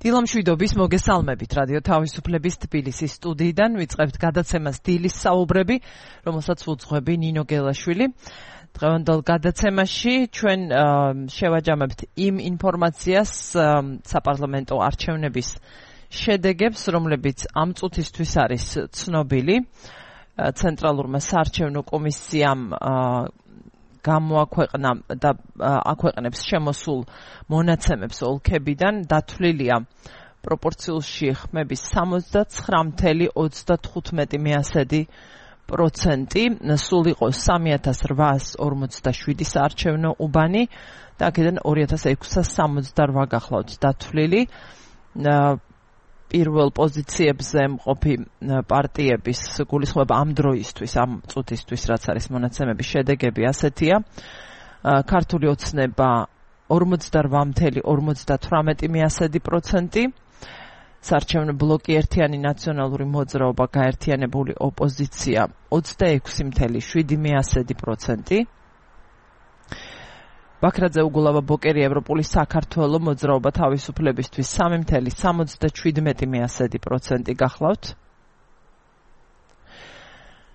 დილამშვიდობის მოგესალმებით რადიო თავისუფლების თბილისის სტუდიიდან ვიწყებთ გადაცემას დილის საუბრები, რომელსაც უძღვები ნინო გელაშვილი. დღევანდელ გადაცემაში ჩვენ შევაჯამებთ იმ ინფორმაციას საპარლამენტო არჩევნების შედეგებს, რომლებიც ამ წუთისთვის არის ცნობილი. ცენტრალურმა საარჩევნო კომისიამ გამოაქვეყნა და აქვეყნებს შემოსულ მონაცემებს ოლქებიდან, დათვლილია პროპორციულში ხმების 69.35%, სულ იყო 3847 საარჩევნო უბანი და აქედან 2668 გახლავთ დათვლილი. პირველ პოზიციებზე მყოფი პარტიების გულისხმობა ამ დროისთვის, ამ წუთისთვის, რაც არის მონაცემების შედეგები ასეთია. ქართული ოცნება 48.58%, საარჩევნო ბლოკი ერთიანი ნაციონალური მოძრაობა, გაერთიანებული ოპოზიცია 26.7%. ბაქრაძე უგულავა ბოკერი ევროპული საქართველო მოძრაობა თავისუფლებისთვის 3.77% გახლავთ.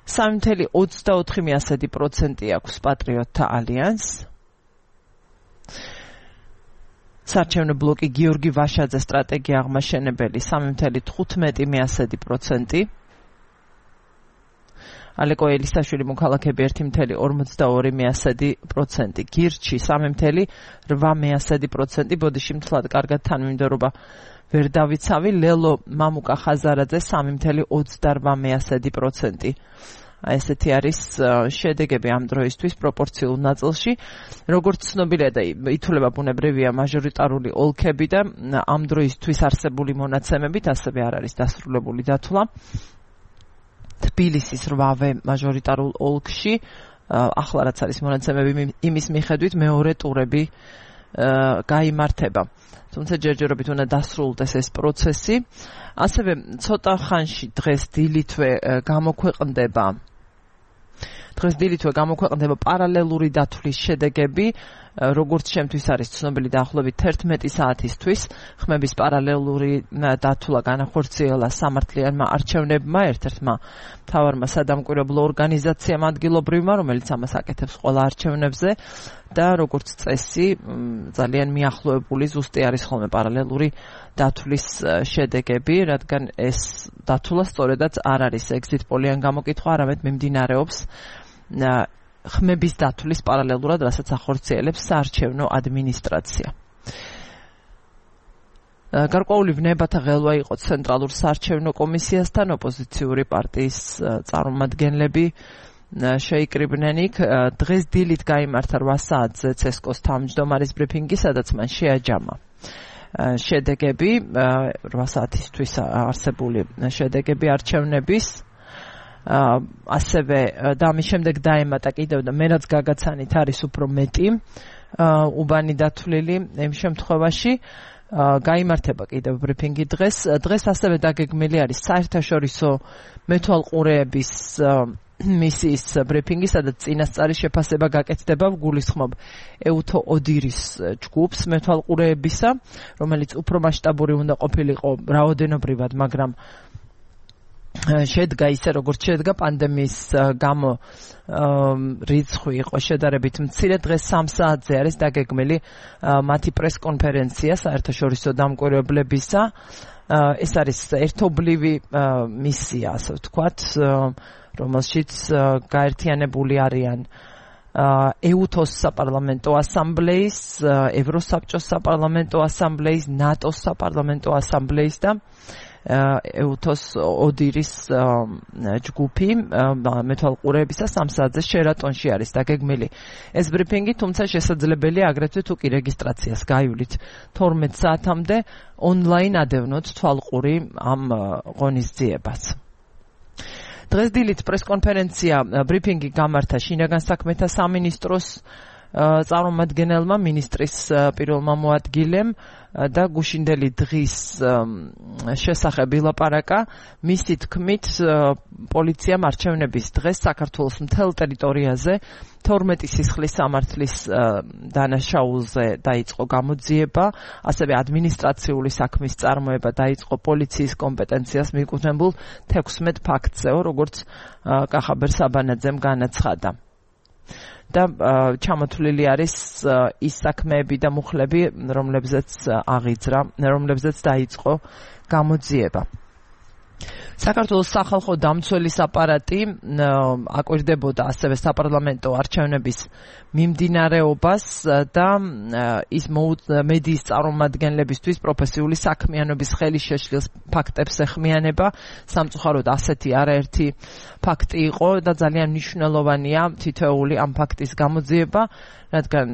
3.24% აქვს პატრიოტთა ალიანსს. საარჩევნო ბლოკი გიორგი ვაშაძე სტრატეგია აღმაშენებელი 3.15%. ალეკო ელისაშვილი მოქალაქეები 1.42%, გირჩი 3.8%, ბოდიში მთლად კარგად თანმიმდევრობა ვერ დავიცავი, ლელო მამუკა ხაზარაძე 3.28%. ესეთი არის შედეგები ამ დროისთვის პროპორციულ ნაწილში. როგორც ცნობილია და ითვლება ბუნებრივია მაჟორიტარული ოლქები და ამ დროისთვის არსებული მონაცემებით ასევე არ არის დასრულებული დათვლა. თბილისის 8-ვე მაჟორიტარულ ოლქში ახლა რაც არის მონაცემები იმის მიხედვით მეორე ტურები გაიმართება. თუმცა ჯერჯერობით უნდა დასრულდეს ეს პროცესი. ასევე ცოტა ხანში დღეს დილითვე გამოქვეყნდება პარალელური დათვლის შედეგები, როგორც შემთთვის არის ცნობილი დაახლოებით 11 საათისთვის. ხმების პარალელური დათვლა განახორციელა სამართლიანმა არჩევნებმა, ერთ-ერთმა მთავარმა სადამკვირვებლო ორგანიზაციამ ადგილობრივმა, რომელიც ამას აკეთებს ყველა არჩევნებზე და როგორც წესი ძალიან მიახლოებული ზუსტი არის ხოლმე პარალელური დათვლის შედეგები, რადგან ეს დათვლა სწორედაც არ არის exit poll-იან გამოკითხვა, არამედ მიმდინარეობს ხმების დათვლის პარალელურად, რასაც ახორციელებს საარჩევნო ადმინისტრაცია. გარკვეული ვნებათა ღელვა იყო ცენტრალურ საარჩევნო კომისიასთან, ოპოზიციური პარტიის წარმომადგენლები შეიკრიბნენ იქ. დღეს დილით გაიმართა 8 საათზე ცესკოს თავმჯდომარის ბრიფინგი, სადაც მან შეაჯამა შედეგები, 8 საათისთვის არსებული შედეგები არჩევნების. ასევე და ამის შემდეგ დაემატა კიდევ და მე რაც გაგაცანით არის უფრო მეტი უბანი დათვლილი. იმ შემთხვევაში გაიმართება კიდევ ბრიფინგი დღეს. დღეს ასევე დაგეგმილი არის საერთაშორისო მეთვალყურეების მისიის ბრიფინგი, სადაც წინასწარი შეფასება გაკეთდება. გულისხმობ ეუთო ოდირის ჯგუფს მეთვალყურეებისა, რომელიც უფრო მასშტაბური უნდა ყოფილიყო რაოდენობრივად, მაგრამ შედგა ისე როგორც შედგა პანდემიის გამო რიცხვი იყო შედარებით მცირე. დღეს 3 საათზე არის დაგეგმილი მათი პრესკონფერენცია საერთაშორისო დამკვირვებლებისა. ეს არის ერთობლივი მისია, ასე ვთქვათ, რომელშიც გაერთიანებული არიან ეუთოს საპარლამენტო ასამბლეის, ევროსაბჭოს საპარლამენტო ასამბლეის, ნატოს საპარლამენტო ასამბლეის და ეუთოს ოდირის ჯგუფი მეთვალყურეებისა 3 საათზე შერატონში არის დაგეგმილი ეს ბრიფინგი, თუმცა შესაძლებელია აგრეთვე თუ კი რეგისტრაციას გაივლით 12 საათამდე ონლაინ ადევნოთ თვალყური ამ ღონისძიებას. დღეს დილით პრესკონფერენცია ბრიფინგი გამართა შინაგან საქმეთა სამინისტროს წარმომადგენელმა მინისტრის პირველმა მოადგილემ და გუშინდელი დღის შესახებ ილაპარაკა. მისი თქმით, პოლიციამ არჩევნების დღეს საქართველოს მთელ ტერიტორიაზე 12 სისხლის სამართლის დანაშაულზე დაიწყო გამოძიება, ასევე ადმინისტრაციული საქმის წარმოება დაიწყო პოლიციის კომპეტენციას მიეკუთვნებულ 16 ფაქტზეო, როგორც კახაბერ საბანაძემ განაცხადა. და ჩამოთვლილი არის ის საქმეები და მუხლები, რომლებზეც დაიწყო გამოძიება. საქართველოს სახალხო დამცველის აპარატი აკვირდებოდა ასევე საპარლამენტო არჩევნების მიმდინარეობას და ის მედიის წარმომადგენლებისთვის პროფესიული საქმიანობის ხელის შეშლის ფაქტებს ეხმიანება. სამწუხაროდ ასეთი არაერთი ფაქტი იყო და ძალიან მნიშვნელოვანია თითოეული ამ ფაქტის გამოძიება, რადგან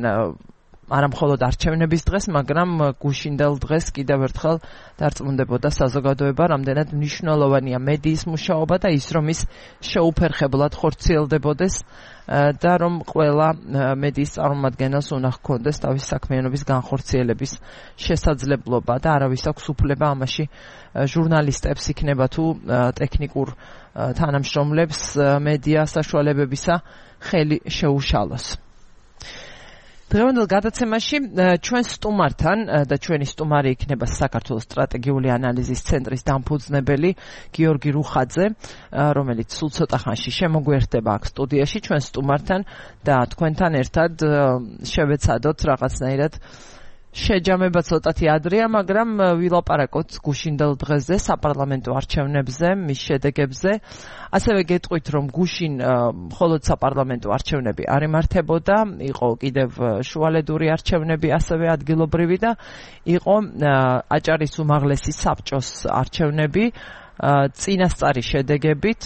არა მხოლოდ არჩევნების დღეს, მაგრამ გუშინდელ დღეს კიდევ ერთხელ დარწმუნდებოდა საზოგადოება, რამდენად მნიშვნელოვანია მედიის მუშაობა და ის, რომ ის შეუფერხებლად ხორციელდებოდეს და რომ ყველა მედიის წარმომადგენელს უნდა ჰქონდეს თავის საქმიანობის განხორციელების შესაძლებლობა და არავის აქვს უფლება ამაში ჟურნალისტებს იქნება თუ ტექნიკურ თანამშრომლებს მედია საშუალებებისა ხელი შეუშალოს. დღევანდელ გადაცემაში ჩვენ სტუმართან და ჩვენი სტუმარი იქნება საქართველოს სტრატეგიული ანალიზის ცენტრის დამფუძნებელი გიორგი რუხაძე, რომელიც სულ ცოტა ხანში შემოგვიერთდება აქ სტუდიაში ჩვენ სტუმართან და თქვენთან ერთად შევეცადოთ რაღაცნაირად შეჯამება ცოტათი ადრეა, მაგრამ ვილაპარაკოთ გუშინდელ დღეზე, საპარლამენტო არჩევნებზე, მის შედეგებზე. ასევე გეტყვით, რომ გუშინ მხოლოდ საპარლამენტო არჩევნები არ იმართებოდა, იყო კიდევ შუალედური არჩევნები, ასევე ადგილობრივი და იყო აჭარის უმაღლესი საბჭოს არჩევნები. წინასწარი შედეგებით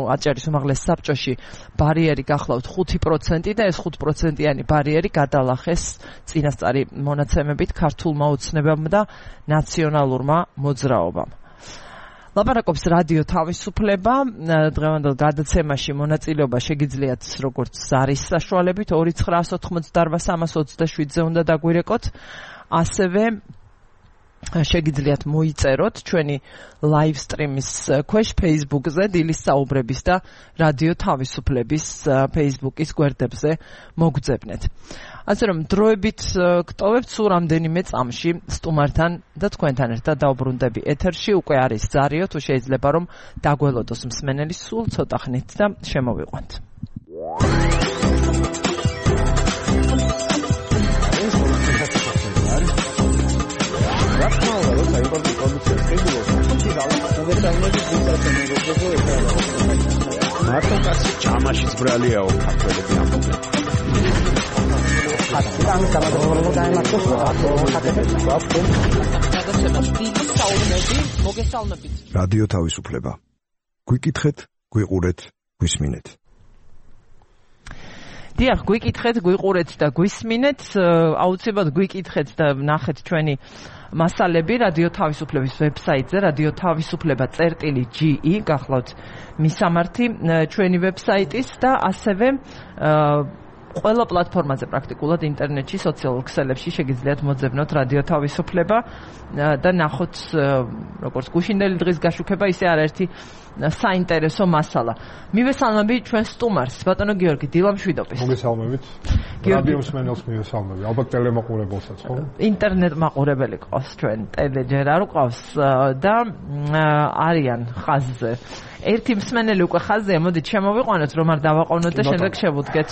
აჭარის უმაღლეს საბჭოში ბარიერი გახლავთ 5% და ეს 5%-იანი ბარიერი გადალახეს წინასწარი მონაცემებით ქართულმა ოცნებამ და ნაციონალურმა მოძრაობამ. ლაპარაკობს რადიო თავისუფლება. დღევანდელ გადაცემაში მონაწილეობა შეგიძლიათ როგორც ზარის საშუალებით 2988327-ზე უნდა დაგვირეკოთ, ასევე შეგიძლიათ მოიწეროთ ჩვენი live stream-ის ქვეშ Facebook-ზე დილის საუბრების და რადიო თავისუფლების Facebook-ის გვერდებზე მოგძებნეთ. ასე რომ დროებით გტოვებთ სულ რამდენიმე წამში სტუმართან და თქვენთან ერთად დაუბრუნდები ეთერში. უკვე არის ზარიო, თუ შეიძლება რომ დაგველოდოს მსმენელი სულ ცოტა ხნით და შემოვიყვანთ. მარტო კაცი ჭამაშიც ბრალიაო ქართველები ამბობენ. რადიო თავისუფლება. გვიკითხეთ, გვიყურეთ, გვისმინეთ. დიახ, გვიკითხეთ, გვიყურეთ და გვისმინეთ. აუცილებლად გვიკითხეთ და ნახეთ ჩვენი მასალები რადიო თავისუფლების ვებსაიტზე, რადიო თავისუფლება.ge, გახლავთ მისამართი ჩვენი ვებსაიტის და ასევე ყველა პლატფორმაზე პრაქტიკულად ინტერნეტში, სოციალურ ქსელებში შეგიძლიათ მოძებნოთ რადიო თავისუფლება და ნახოთ როგორც გუშინდელი დღის გაშუქება, ისე არაერთი საინტერესო მასალა. მივესალმები ჩვენ სტუმარს, ბატონო გიორგი დილამშვიდობის. მოგესალმებით. რადიო მსმენელს მივესალმები. ალბათ ტელემაყურებელსაც, ხო? ინტერნეტ მაყურებელი ყავს ჩვენ, ტელეჯერ არ ყავს და არიან ხაზზე. ერთი მსმენელი უკვე ხაზზეა, მოდით შემოვიყვანოთ, რომ არ დავაყოვნოთ და შემდეგ შევუდგეთ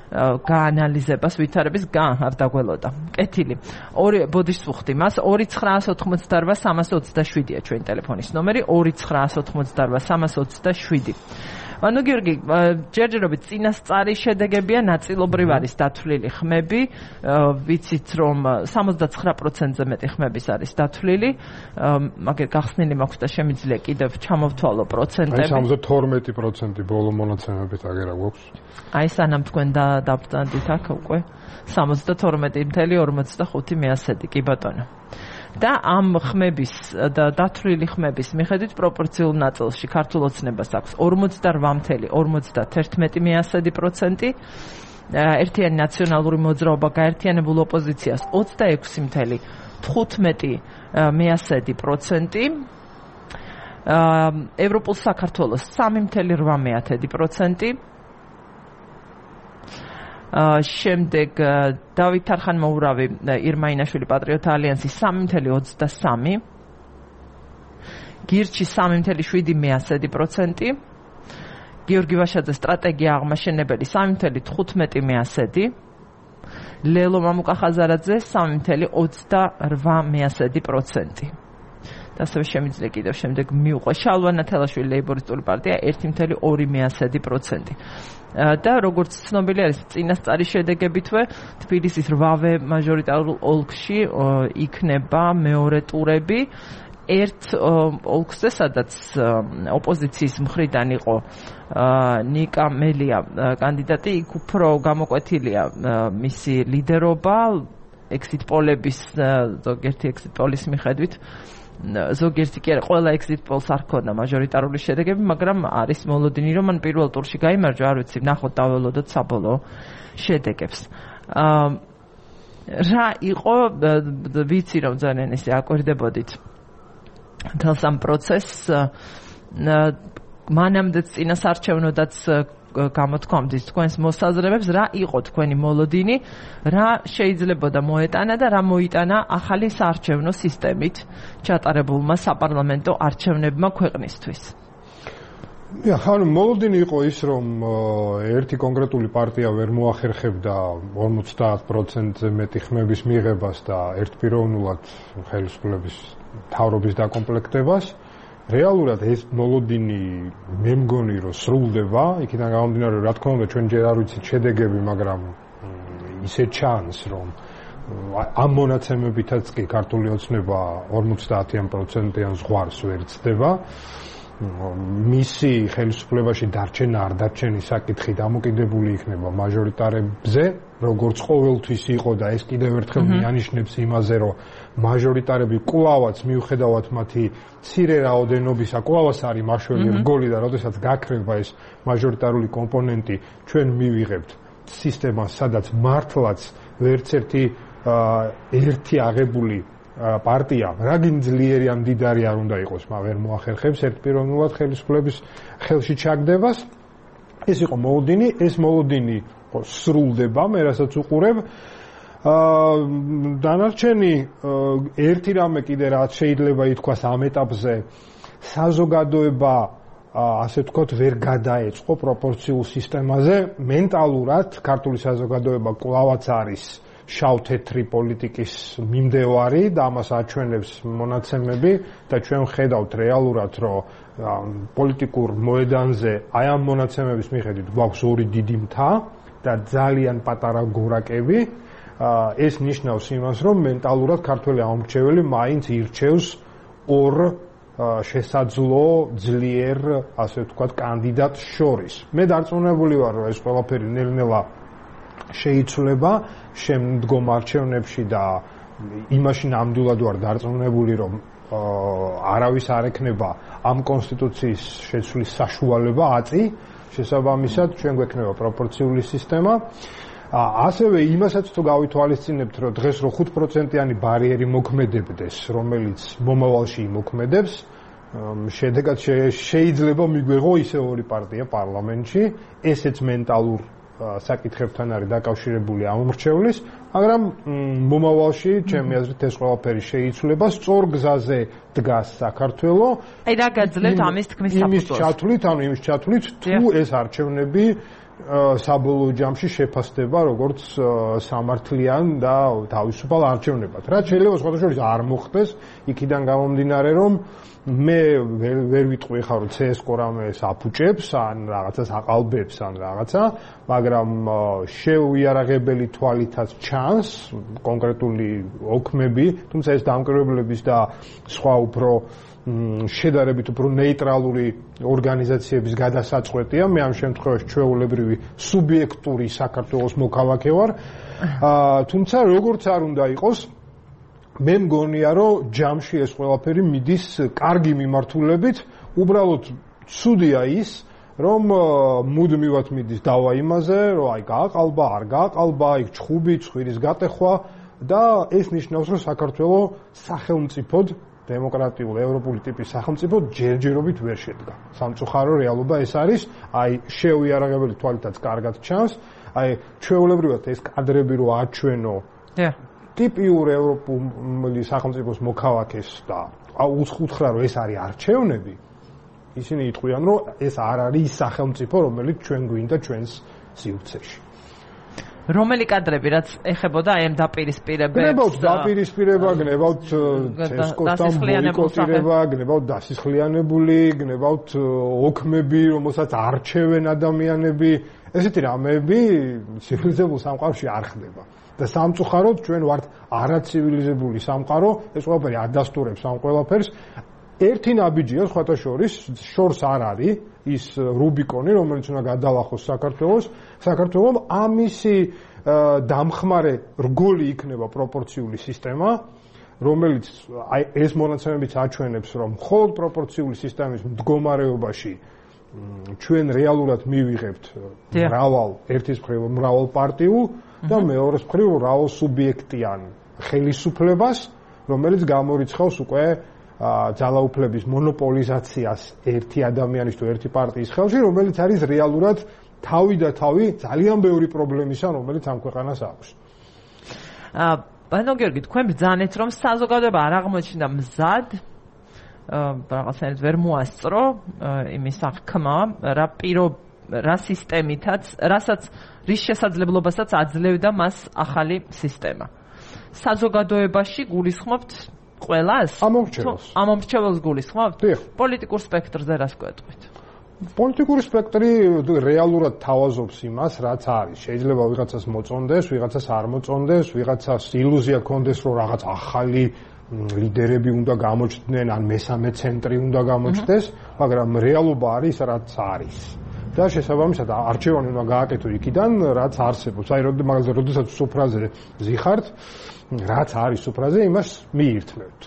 გაანალიზებას ვითარების არ დაგველოდა. კეთილი. ბოდიშს ვუხდი მას 2988327-ია ჩვენი ტელეფონის ნომერი 2988327. ანუ გიორგი, ჯერჯერობით წინასწარი შედეგებია, ნაწილობრივ არის დათვლილი ხმები, ვიცით რომ 79%-ზე მეტი ხმების არის დათვლილი, მაგრამ გახსნილი მაქვს და შემიძლია კიდევ ჩამოვთვალო პროცენტები. აი 72% ბოლო მონაცემებით აგერა გვაქვს. აი სანამ თქვენ დაბრძანდით აქ უკვე 72.45 კი ბატონო. და ამ ხმების და დათვლილი ხმების მიხედვით პროპორციულ ნაწილში ქართულ ოცნებას აქვს 48.51%, ერთიანი ნაციონალური მოძრაობა გაერთიანებულ ოპოზიციას 26.15%, ევროპულ საქართველოს 3.8%, შემდეგ დავით არხანმოურავი ირმა ინაშვილი პატრიოტთა ალიანსი 3.23%, გირჩი 3.7%, გიორგი ვაშაძე სტრატეგია აღმაშენებელი 3.15%, ლელო მამუკახაზარაძე 3.28%. და ასევე შემიძლია კიდევ შემდეგ მიუყვე შალვა ნათელაშვილი ლეიბორისტული პარტია 1.2%. და როგორც ცნობილი არის წინასწარი შედეგებითვე თბილისის 8-ვე მაჟორიტარულ ოლქში იქნება მეორე ტურები. ერთ ოლქზე, სადაც ოპოზიციის მხრიდან იყო ნიკა მელია კანდიდატი, იქ უფრო გამოკვეთილია მისი ლიდერობა exit polების ზოგიერთი exit polis მიხედვით. ზოგიერთი კი არა, ყველა exit pols არ ქონდა მაჟორიტარული შედეგები, მაგრამ არის მოლოდინი, რომ მან პირველ ტურში გაიმარჯვა, არ ვიცი, ნახოთ დაველოდოთ საბოლოო შედეგებს. რა იყო, ვიცი რომ ძალიან ისე აკვირდებოდით თელს ამ პროცესს, მანამდეც წინასარჩევნოდაც გამოთქვამდით თქვენს მოსაზრებებს, რა იყო თქვენი მოლოდინი, რა შეიძლებოდა მოეტანა და რა მოიტანა ახალი საარჩევნო სისტემით ჩატარებულმა საპარლამენტო არჩევნებმა ქვეყნისთვის. მოლოდინი იყო ის, რომ ერთი კონკრეტული პარტია ვერ მოახერხებდა 50%-ზე მეტი ხმების მიღებას და ერთპიროვნულად ხელისუფლების თავრობის დაკომპლექტებას. რეალურად ეს მოლოდინი მე მგონი რომ სრულდება, იქიდან გამომდინარე რა თქმა უნდა ჩვენ ჯერ არ ვიცით შედეგები, მაგრამ ისე ჩანს რომ ამ მონაცემებითაც კი ქართული ოცნება 50%-იან ზღვარს ვერ ცდება. მისი ხელისუფლებაში დარჩენა არ დარჩენის საკითხი დამოკიდებული იქნება მაჟორიტარებზე, როგორც ყოველთვის იყო და ეს კიდევ ერთხელ მიანიშნებს იმაზე, რომ მაჟორიტარები კვლავაც მიუხედავად მათი მცირე რაოდენობისა, კვლავაც არის მაშველი რგოლი და როდესაც გაქრება ეს მაჟორიტარული კომპონენტი, ჩვენ მივიღებთ სისტემას, სადაც მართლაც ვერც ერთი აღებული პარტია, რაგინ ძლიერი ან მდიდარი არ უნდა იყოს, მაგრამ ვერ მოახერხებს ერთპიროვნულად ხელისუფლების ხელში ჩაგდებას. ეს იყო მოლოდინი, ეს მოლოდინი სრულდება, მე რასაც უყურებ. დანარჩენი ერთი რამე კიდე რაც შეიძლება ითქვას ამ ეტაპზე, საზოგადოება ასე ვთქვათ ვერ გადაეწყო პროპორციულ სისტემაზე. მენტალურად ქართული საზოგადოება კვლავაც არის შავ-თეთრი პოლიტიკის მიმდევარი და ამას აჩვენებს მონაცემები და ჩვენ ვხედავთ რეალურად, რომ პოლიტიკურ მოედანზე აი ამ მონაცემების მიხედვით გვაქვს ორი დიდი მთა და ძალიან პატარა გორაკები. ეს ნიშნავს იმას, რომ მენტალურად ქართველი ამორჩეველი მაინც ირჩევს ორ შესაძლო ძლიერ, ასე ვთქვათ, კანდიდატს შორის. მე დარწმუნებული ვარ, რომ ეს ყველაფერი ნელ-ნელა შეიცვლება შემდგომ არჩევნებში და იმაში ნამდვილად ვარ დარწმუნებული, რომ არავის არ ექნება ამ კონსტიტუციის შეცვლის საშუალება აწი, შესაბამისად ჩვენ გვექნება პროპორციული სისტემა. ასევე იმასაც თუ გავითვალისწინებთ, რომ დღეს რო 5%-იანი ბარიერი მოქმედებდეს, რომელიც მომავალში იმოქმედებს, შედეგად შეიძლება მიგვეღო ისე ორი პარტია პარლამენტში, ესეც მენტალურ საკითხებთან არის დაკავშირებული ამორჩევლის, მაგრამ მომავალში ჩემი აზრით ეს ყველაფერი შეიცვლება, სწორ გზაზე დგას საქართველო. აი რა გაძლევთ ამის თქმის საფუძველს? იმის ჩათვლით, თუ ეს არჩევნები საბოლოო ჯამში შეფასდება როგორც სამართლიან და თავისუფალ არჩევნებად. რაც შეიძლება სხვადასხვა არ მოხდეს, იქიდან გამომდინარე, რომ მე ვერ ვიტყვი ხარ რომ CS:GO რამეს აფუჭებს ან რაღაცას აყალბებს ან რაღაცა, მაგრამ შეუიარაღებელი თვალითაც ჩანს კონკრეტული ოქმები, თუმცა ეს დამკვირვებლების და სხვა უფრო შედარებით უფრო ნეიტრალური ორგანიზაციების გადასაწყვეტია. მე ამ შემთხვევაში ჩვეულებრივი სუბიექტური საქართველოს მოქალაქე ვარ. თუმცა როგორც არ უნდა იყოს, მე მგონია, რომ ჯამში ეს ყველაფერი მიდის კარგი მიმართულებით. უბრალოდ ცუდია ის, რომ მუდმივად მიდის დავა იმაზე, რომ აი გააყალბა, არ გააყალბა, იქ ჩხუბი, ცხვირის გატეხვა და ეს ნიშნავს, რომ საქართველო სახელმწიფოდ დემოკრატიულ ევროპული ტიპის სახელმწიფო ჯერჯერობით ვერ შედგა. სამწუხარო რეალობა ეს არის, აი შეუიარაღებელი თვალითაც კარგად ჩანს, აი ჩვეულებრივად ეს კადრები რო აჩვენო ტიპიურ ევროპული სახელმწიფოს მოქალაქეს და უთხრა რომ ეს არის არჩევნები, ისინი იტყვიან რომ ეს არ არის ის სახელმწიფო, რომელიც ჩვენ გვინდა ჩვენს სივრცეში. რომელი კადრები რაც ეხებოდა აი ამ დაპირისპირებებს? გნებავთ დაპირისპირება, გნებავთ ცესკოსთან ბოიკოტირება, გნებავთ დასისხლიანებული, გნებავთ ოქმები, რომელსაც არჩევენ ადამიანები. ესეთი რამეები ცივილიზებულ სამყაროში არ ხდება. და სამწუხაროდ ჩვენ ვართ არაცივილიზებული სამყარო, ეს ყველაფერი ადასტურებს ამ ყველაფერს. ერთი ნაბიჯია სხვათა შორის, შორს არ არის ის რუბიკონი, რომელიც უნდა გადალახოს საქართველოს, ამისი დამხმარე რგოლი იქნება პროპორციული სისტემა, რომელიც აი ეს მონაცემებიც აჩვენებს, რომ მხოლოდ პროპორციული სისტემის მდგომარეობაში ჩვენ რეალურად მივიღებთ ერთის მხრივ მრავალ პარტიულ და მეორეს მხრივ მრავალ სუბიექტიან ხელისუფლებას, რომელიც გამორიცხავს უკვე ძალაუფლების მონოპოლიზაციას ერთი ადამიანის თუ ერთი პარტიის ხელში, რომელიც არის რეალურად თავი და თავი ძალიან ბევრი პრობლემისა, რომელიც ამ ქვეყანას აქვს. ბანო გიორგი, თქვენ ბრძანეთ, რომ საზოგადოება არ აღმოჩნდა მზად რაღაცნაირად ვერ მოასწრო იმის აღქმა, რა სისტემითაც, რის შესაძლებლობასაც აძლევდა მას ახალი სისტემა. საზოგადოებაში გულისხმობთ ყველას? ამომრჩეველს გულისხმობთ? პოლიტიკურ სპექტრზე რას გვეტყვით? პოლიტიკური სპექტრი რეალურად თავაზობს იმას, რაც არის. შეიძლება ვიღაცას მოწონდეს, ვიღაცას არ მოწონდეს, ვიღაცას ილუზია ქონდეს, რომ რაღაც ახალი ლიდერები უნდა გამოჩნდნენ, ან მესამე ცენტრი უნდა გამოჩნდეს, მაგრამ რეალობა არის, რაც არის. და შესაბამისად არჩევანი უნდა გააკეთო იქიდან, რაც არსებობს. აი, როდესაც სუფრაზე ზიხართ, რაც არის სუფრაზე, იმას მიირთმევთ.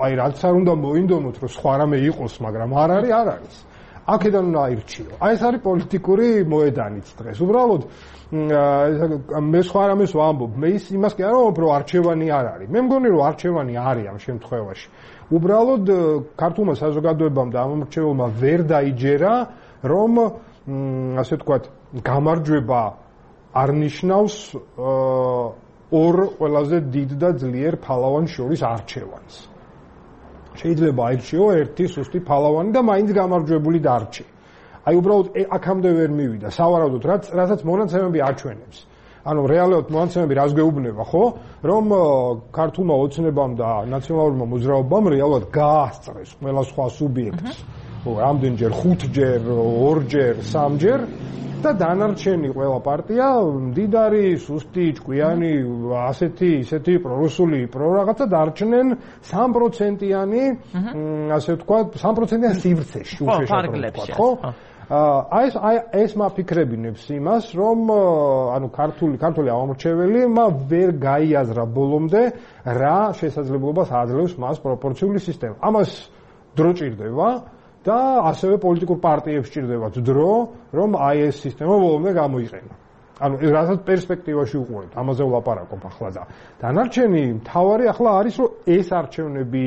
აი, რაც არ უნდა მოინდომოთ, რომ სხვა რამე იყოს, მაგრამ არ არის. აქედან უნდა აირჩიო. აი, ეს არის პოლიტიკური მოედანიც დღეს. უბრალოდ მე სხვა რამეს ვამბობ. მე იმას კი არ ვამბობ, რომ არჩევანი არ არის. მე მგონი, რომ არჩევანი არის ამ შემთხვევაში. უბრალოდ ქართულმა საზოგადოებამ და ამომრჩეველმა ვერ დაიჯერა, რომ ასე ვთქვათ, გამარჯვება არ ნიშნავს ორ ყველაზე დიდ და ძლიერ ფალავან შორის არჩევანს. შეიძლება აირჩიო ერთი სუსტი ფალავანი და მაინც გამარჯვებული დარჩე. აი უბრალოდ აქამდე ვერ მივიდა. სავარაუდოდ რასაც მონაცემები აჩვენებს. ანუ რეალურად მონაცემები რას გვეუბნება, ხო? რომ ქართულმა ოცნებამ და ნაციონალურმა მოძრაობამ რეალურად გაასწრეს ყველა სხვა სუბიექტს. რამდენჯერ 5ჯერ, 2ჯერ, 3ჯერ და დანარჩენი ყველა პარტია მდიდარი, სუსტი, ჭკვიანი, ასეთი, ისეთი პრორუსული, რაღაცა დარჩნენ 3%-იანი, ასე ვთქვათ, 3%-იან სივრცეში უშეშად, ხო? ეს მაფიქრებინებს იმას, რომ ანუ ქართული ამომრჩეველი ვერ გაიაზრა ბოლომდე რა შესაძლებლობას აძლევს მას პროპორციული სისტემა. ამას დრო ჭირდება და ასევე პოლიტიკურ პარტიებს ჭირდებათ დრო, რომ აი ეს სისტემა ბოლომდე გამოიყენო. ანუ რასაც პერსპექტივაში უყურებთ, ამაზე ვლაპარაკობ ახლა და დანარჩენი მთავარი ახლა არის, რომ ეს არჩევნები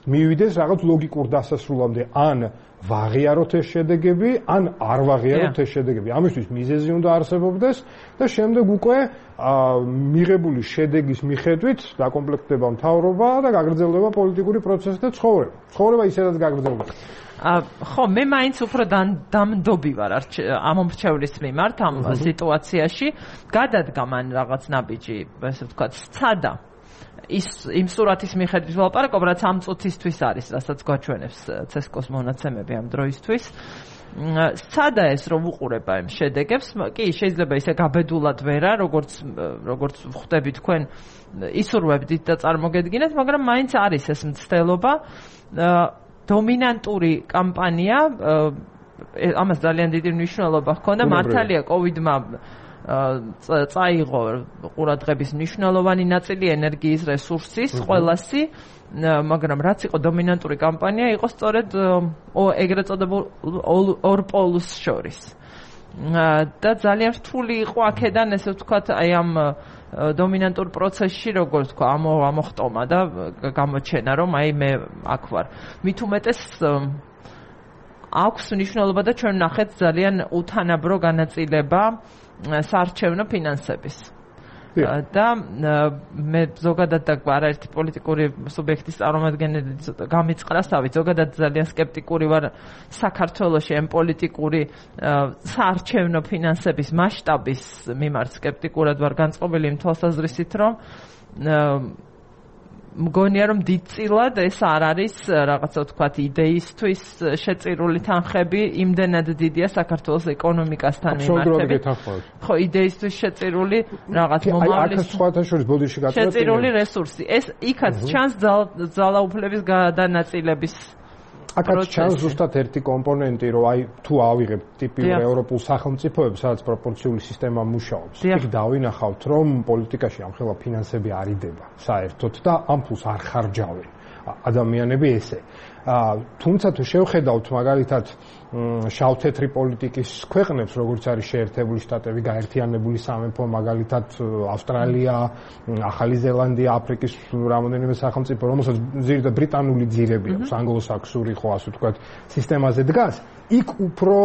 მივიდეს რაღაც ლოგიკურ დასასრულამდე, ან ვაღიაროთ ეს შედეგები, ან არ ვაღიაროთ ეს შედეგები. ამისთვის მიზეზი უნდა არსებობდეს და შემდეგ უკვე მიღებული შედეგის მიხედვით დაკომპლექტდება მთავრობა და გაგრძელდება პოლიტიკური პროცესი და ცხოვრება. ცხოვრება ისედაც გაგრძელდება. ხო, მე მაინც უფრო დამდობი ვარ ამომრჩევლის მიმართ ამ სიტუაციაში. გადადგა მან რაღაც ნაბიჯი, ასე ვთქვათ, სცადა იმ სურათის მიხედვით ვლაპარაკობ, რაც ამ წუთისთვის არის, რასაც გვაჩვენებს ცესკოს მონაცემები ამ დროისთვის. სცადა ეს, რომ უყურება იმ შედეგებს, კი, შეიძლება ისე გაბედულად ვერა, როგორც ხვდები თქვენ, ისურვებდით და წარმოგედგინეთ, მაგრამ მაინც არის ეს მცდელობა. დომინანტური კამპანია, ამას ძალიან დიდი მნიშვნელობა ჰქონდა, მართალია კოვიდმა წაიღო ყურადღების მნიშვნელოვანი ნაწილი ენერგიის რესურსის ყველასი, მაგრამ რაც იყო დომინანტური კამპანია, იყო სწორედ ეგრეთ წოდებულ ორ პოლუს შორის. და ძალიან რთული იყო აქედან ესე ვთქვათ, აი ამ დომინანტურ პროცესში, როგორც თქვა, ამოხტომა და გამოჩენა, რომ აი მე აქ ვარ. მით უმეტეს აქვს მნიშვნელობა და ჩვენ ნახეთ ძალიან უთანაბრო განაწილება საარჩევნო ფინანსების. და მე ზოგადად და არაერთი პოლიტიკური სუბიექტის წარმომადგენელი გამიწყრასავით, ზოგადად ძალიან სკეპტიკური ვარ საქართველოში ამ პოლიტიკური საარჩევნო ფინანსების მასშტაბის მიმართ სკეპტიკურად ვარ განწყობილი იმ თვალსაზრისით, რომ მგონია რომ დიდწილად ეს არ არის რაღაცა ვთქვათ იდეისთვის შეწირული თანხები, იმდენად დიდია საქართველოს ეკონომიკასთან მიმართებით. ხო, იდეისთვის შეწირული რაღაც მომავლის შეწირული რესურსი. ეს იქაც ჩანს ძალაუფლების გადანაწილების აქაც ჩანს ზუსტად ერთი კომპონენტი, რომ აი თუ ავიღებ ტიპიურ ევროპულ სახელმწიფოებს, სადაც პროპორციული სისტემა მუშაობს, იქ დავინახავთ, რომ პოლიტიკაში ამხელა ფინანსები არ იდება საერთოდ და ამ ფულს არ ხარჯავენ ადამიანები ესე. თუმცა თუ შევხედავთ მაგალითად შავ-თეთრი პოლიტიკის ქვეყნებს, როგორც არის შეერთებული შტატები, გაერთიანებული სამეფო, მაგალითად ავსტრალია, ახალი ზელანდია, აფრიკის რამოდენიმე სახელმწიფო, რომელსაც ზირდა ბრიტანული ძირები აქვს, ანგლო-საქსური ხო ასე ვთქვათ, სისტემაზე დგას, იქ უფრო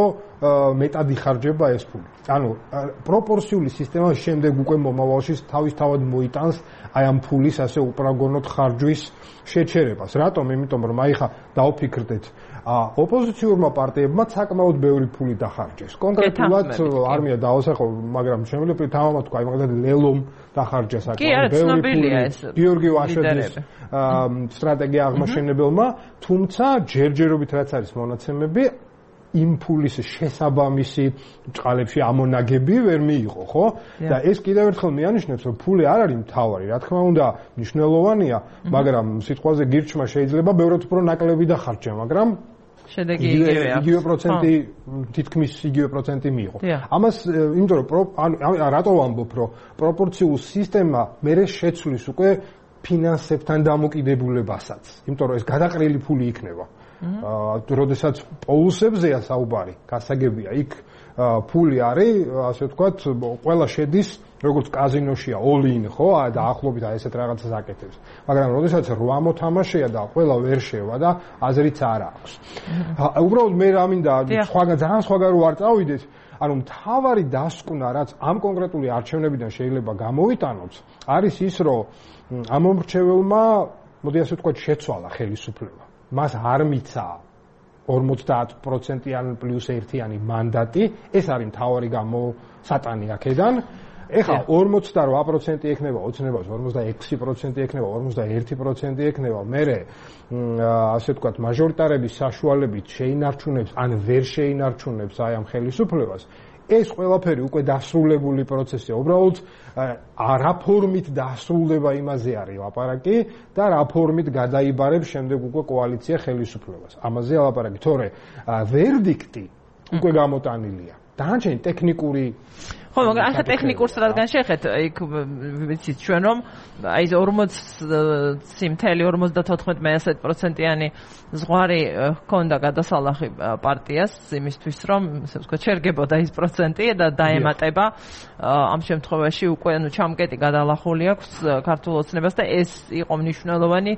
მეტად იხარჯება ეს ფული. ანუ პროპორციული სისტემა შემდეგ უკვე მომავალში თავისთავად მოიტანს აი ამ ფულის ასე უპრაგონოდ ხარჯვის შეჩერებას. რატომ? იმიტომ რომ აი ხა დავფიქრდეთ, ოპოზიციურმა პარტიებმა საკმაოდ ბევრი ფული დახარჯეს. კონკრეტულად არმია დაასახო, მაგრამ შემიძლია თამამად თქვა, აი მაგალითად ლელომ დახარჯა საკმაოდ ბევრი ფული. გიორგი ვაშაძის სტრატეგია აღმაშენებელმა, თუმცა ჯერჯერობით რაც არის მონაცემები იმ ფულის შესაბამისი წყალებში ამონაგები ვერ მიიღო, ხო? და ეს კიდევ ერთხელ მიანიშნებს, რომ ფული არ არის მთავარი, რა თქმა უნდა, მნიშვნელოვანია, მაგრამ სიტყვაზე გირჩმა შეიძლება ბევრად უფრო ნაკლები დახარჯა, მაგრამ შედეგი იგივეა. იგივე პროცენტი, თითქმის იგივე პროცენტი მიიღო. ამას იმიტომ რომ რატო ვამბობ, რომ პროპორციულ სისტემა მერე შეცვლის უკვე ფინანსებთან დამოკიდებულებასაც, იმიტომ რომ ეს გადაყრილი ფული იქნება. როდესაც პოლუსებზეა საუბარი, გასაგებია, იქ ფული არის, ასე ვთქვათ, ყველა შედის, როგორც კაზინოშია, all-in, ხო, და ახლობით ესეთ რაღაცას აკეთებს. მაგრამ როდესაც 8 მოთამაშეა და ყველა ვერ შევა და აზრიც არ აქვს. უბრალოდ მე რა მინდა ძალიან სხვაგან რო არ წავიდეთ, ანუ მთავარი დასკვნა, რაც ამ კონკრეტული არჩევნებიდან შეიძლება გამოვიტანოთ, არის ის, რომ ამ მომრჩეველმა, მოდი ასე ვთქვათ, შეცვალა ხელისუფლება. მას არ მიცა 50%-იანი პლუს 1-იანი მანდატი, ეს არის მთავარი გამოსატანი აქედან. ეხლა 48% ექნება ოცნებას, 46% ექნება, 41% ექნება. მერე ასე ვთქვათ, მაჟორიტარების საშუალებით შეინარჩუნებს ან ვერ შეინარჩუნებს აი ამ ხელისუფლებას. ეს ყველაფერი უკვე დასრულებული პროცესია. უბრალოდ რა ფორმით დასრულდება იმაზე არის ლაპარაკი და რა ფორმით გადაიბარებს შემდეგ უკვე კოალიცია ხელისუფლებას. ამაზე ლაპარაკი, თორე ვერდიქტი უკვე გამოტანილია. დანარჩენი ტექნიკური ხო, მაგრამ ახლა ტექნიკურს რადგან შეხეთ, იქ ვიცით ჩვენ რომ აი 40.54%-იანი ზღვარი ჰქონდა გადასალახი პარტიას იმისთვის რომ ასე ვთქვათ შერგებოდა ის პროცენტი და დაემატება ამ შემთხვევაში უკვე ანუ ჩამკეტი გადალახული აქვს ქართულ ოცნებას და ეს იყო მნიშვნელოვანი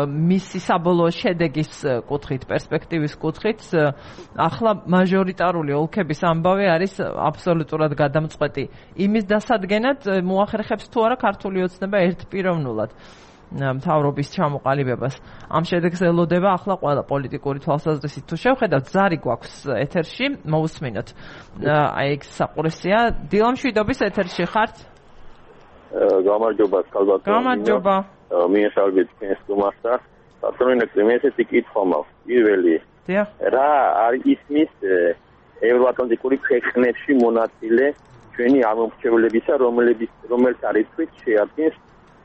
მისი საბოლოო შედეგის კუთხით, პერსპექტივის კუთხით. ახლა მაჟორიტარული ოლქების ამბავი არის აბსოლუტურად გადამწყვეტი იმის დასადგენად მოახერხებს თუ არა ქართული ოცნება ერთპიროვნულად მთავრობის ჩამოყალიბებას. ამ შედეგს ელოდება ახლა ყველა პოლიტიკური თვალსაზრისით. თუ შევხედავთ, ზარი გვაქვს ეთერში, მოусმინოთ. აი ეს საყურესია. დილამშვიდობის ეთერში ხართ? გამარჯობა, კალბატონო. გამარჯობა. მიესალმებით თქვენს სტუმარს და პატრონებს მე ესეთი კითხვა მაქვს. პირველი. რა არის ისმის ევროატლანტიკური ქვეყნებში მონაწილე ჩვენი ამომრჩევლებისა, რომელიც არის თვით შეადგენს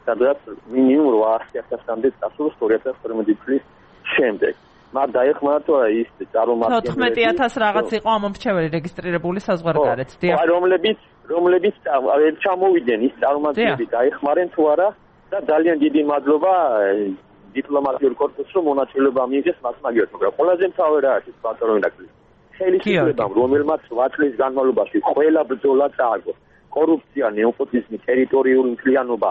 სადღაც მინიმუმ 800,000-მდე წასულს 2012 წლის შემდეგ. მათ დაეხმარათ ის წარმომადგენლები 14000 რაღაც იყო ამომრჩეველი რეგისტრირებული საზღვარგარეთ დიახ რომლებიც ჩამოვიდნენ ის წარმომადგენლები დაეხმარენ თუ არა და ძალიან დიდი მადლობა დიპლომატიურ კორპუსს რომ მონაწილეობა მიიღეს მას მაგივრად მაგრამ ყველაზე მთავარი რა არის ბატონო ინაკლი ხელისუფლებამ რომელმაც 8 წლის განმავლობაში ყველა ბრძოლა წააგო კორუფცია ნეოპოტიზმი ტერიტორიული მთლიანობა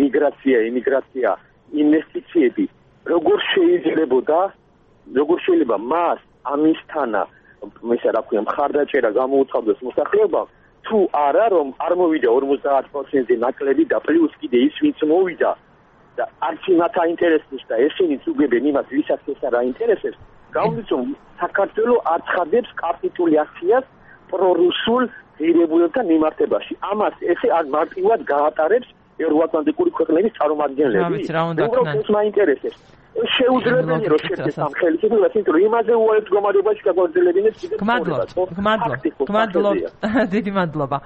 მიგრაცია იმიგრაცია ინვესტიციები როგორ შეიძლება მას ამისთანა ესე რა ქვია მხარდაჭერა გამოუცხადოს მოსახლეობამ თუ არა რომ არ მოვიდა 50%-ზე ნაკლები და პლუს კიდე ის ვინც მოვიდა და არც მათ აინტერესებს და ესენიც უგებენ იმას ვისაც ეს არ აინტერესებს გამომდის რომ საქართველოს აცხადებს კაპიტულაციას პრორუსულ ღირებულებთან მიმართებაში ამას ესე არ მარტივად გაატარებს ევროატლანტიკური ქვეყნების წარმომადგენლები უბრალოდ მაინტერესებს შეუძლებელია რომ შეერთდეს ამ ხელისუფლებას იმიტომ რომ იმაზე უარეთ გამარჯვებაში გაგვაძლევინებს კიდევ გმადლობთ დიდი მადლობა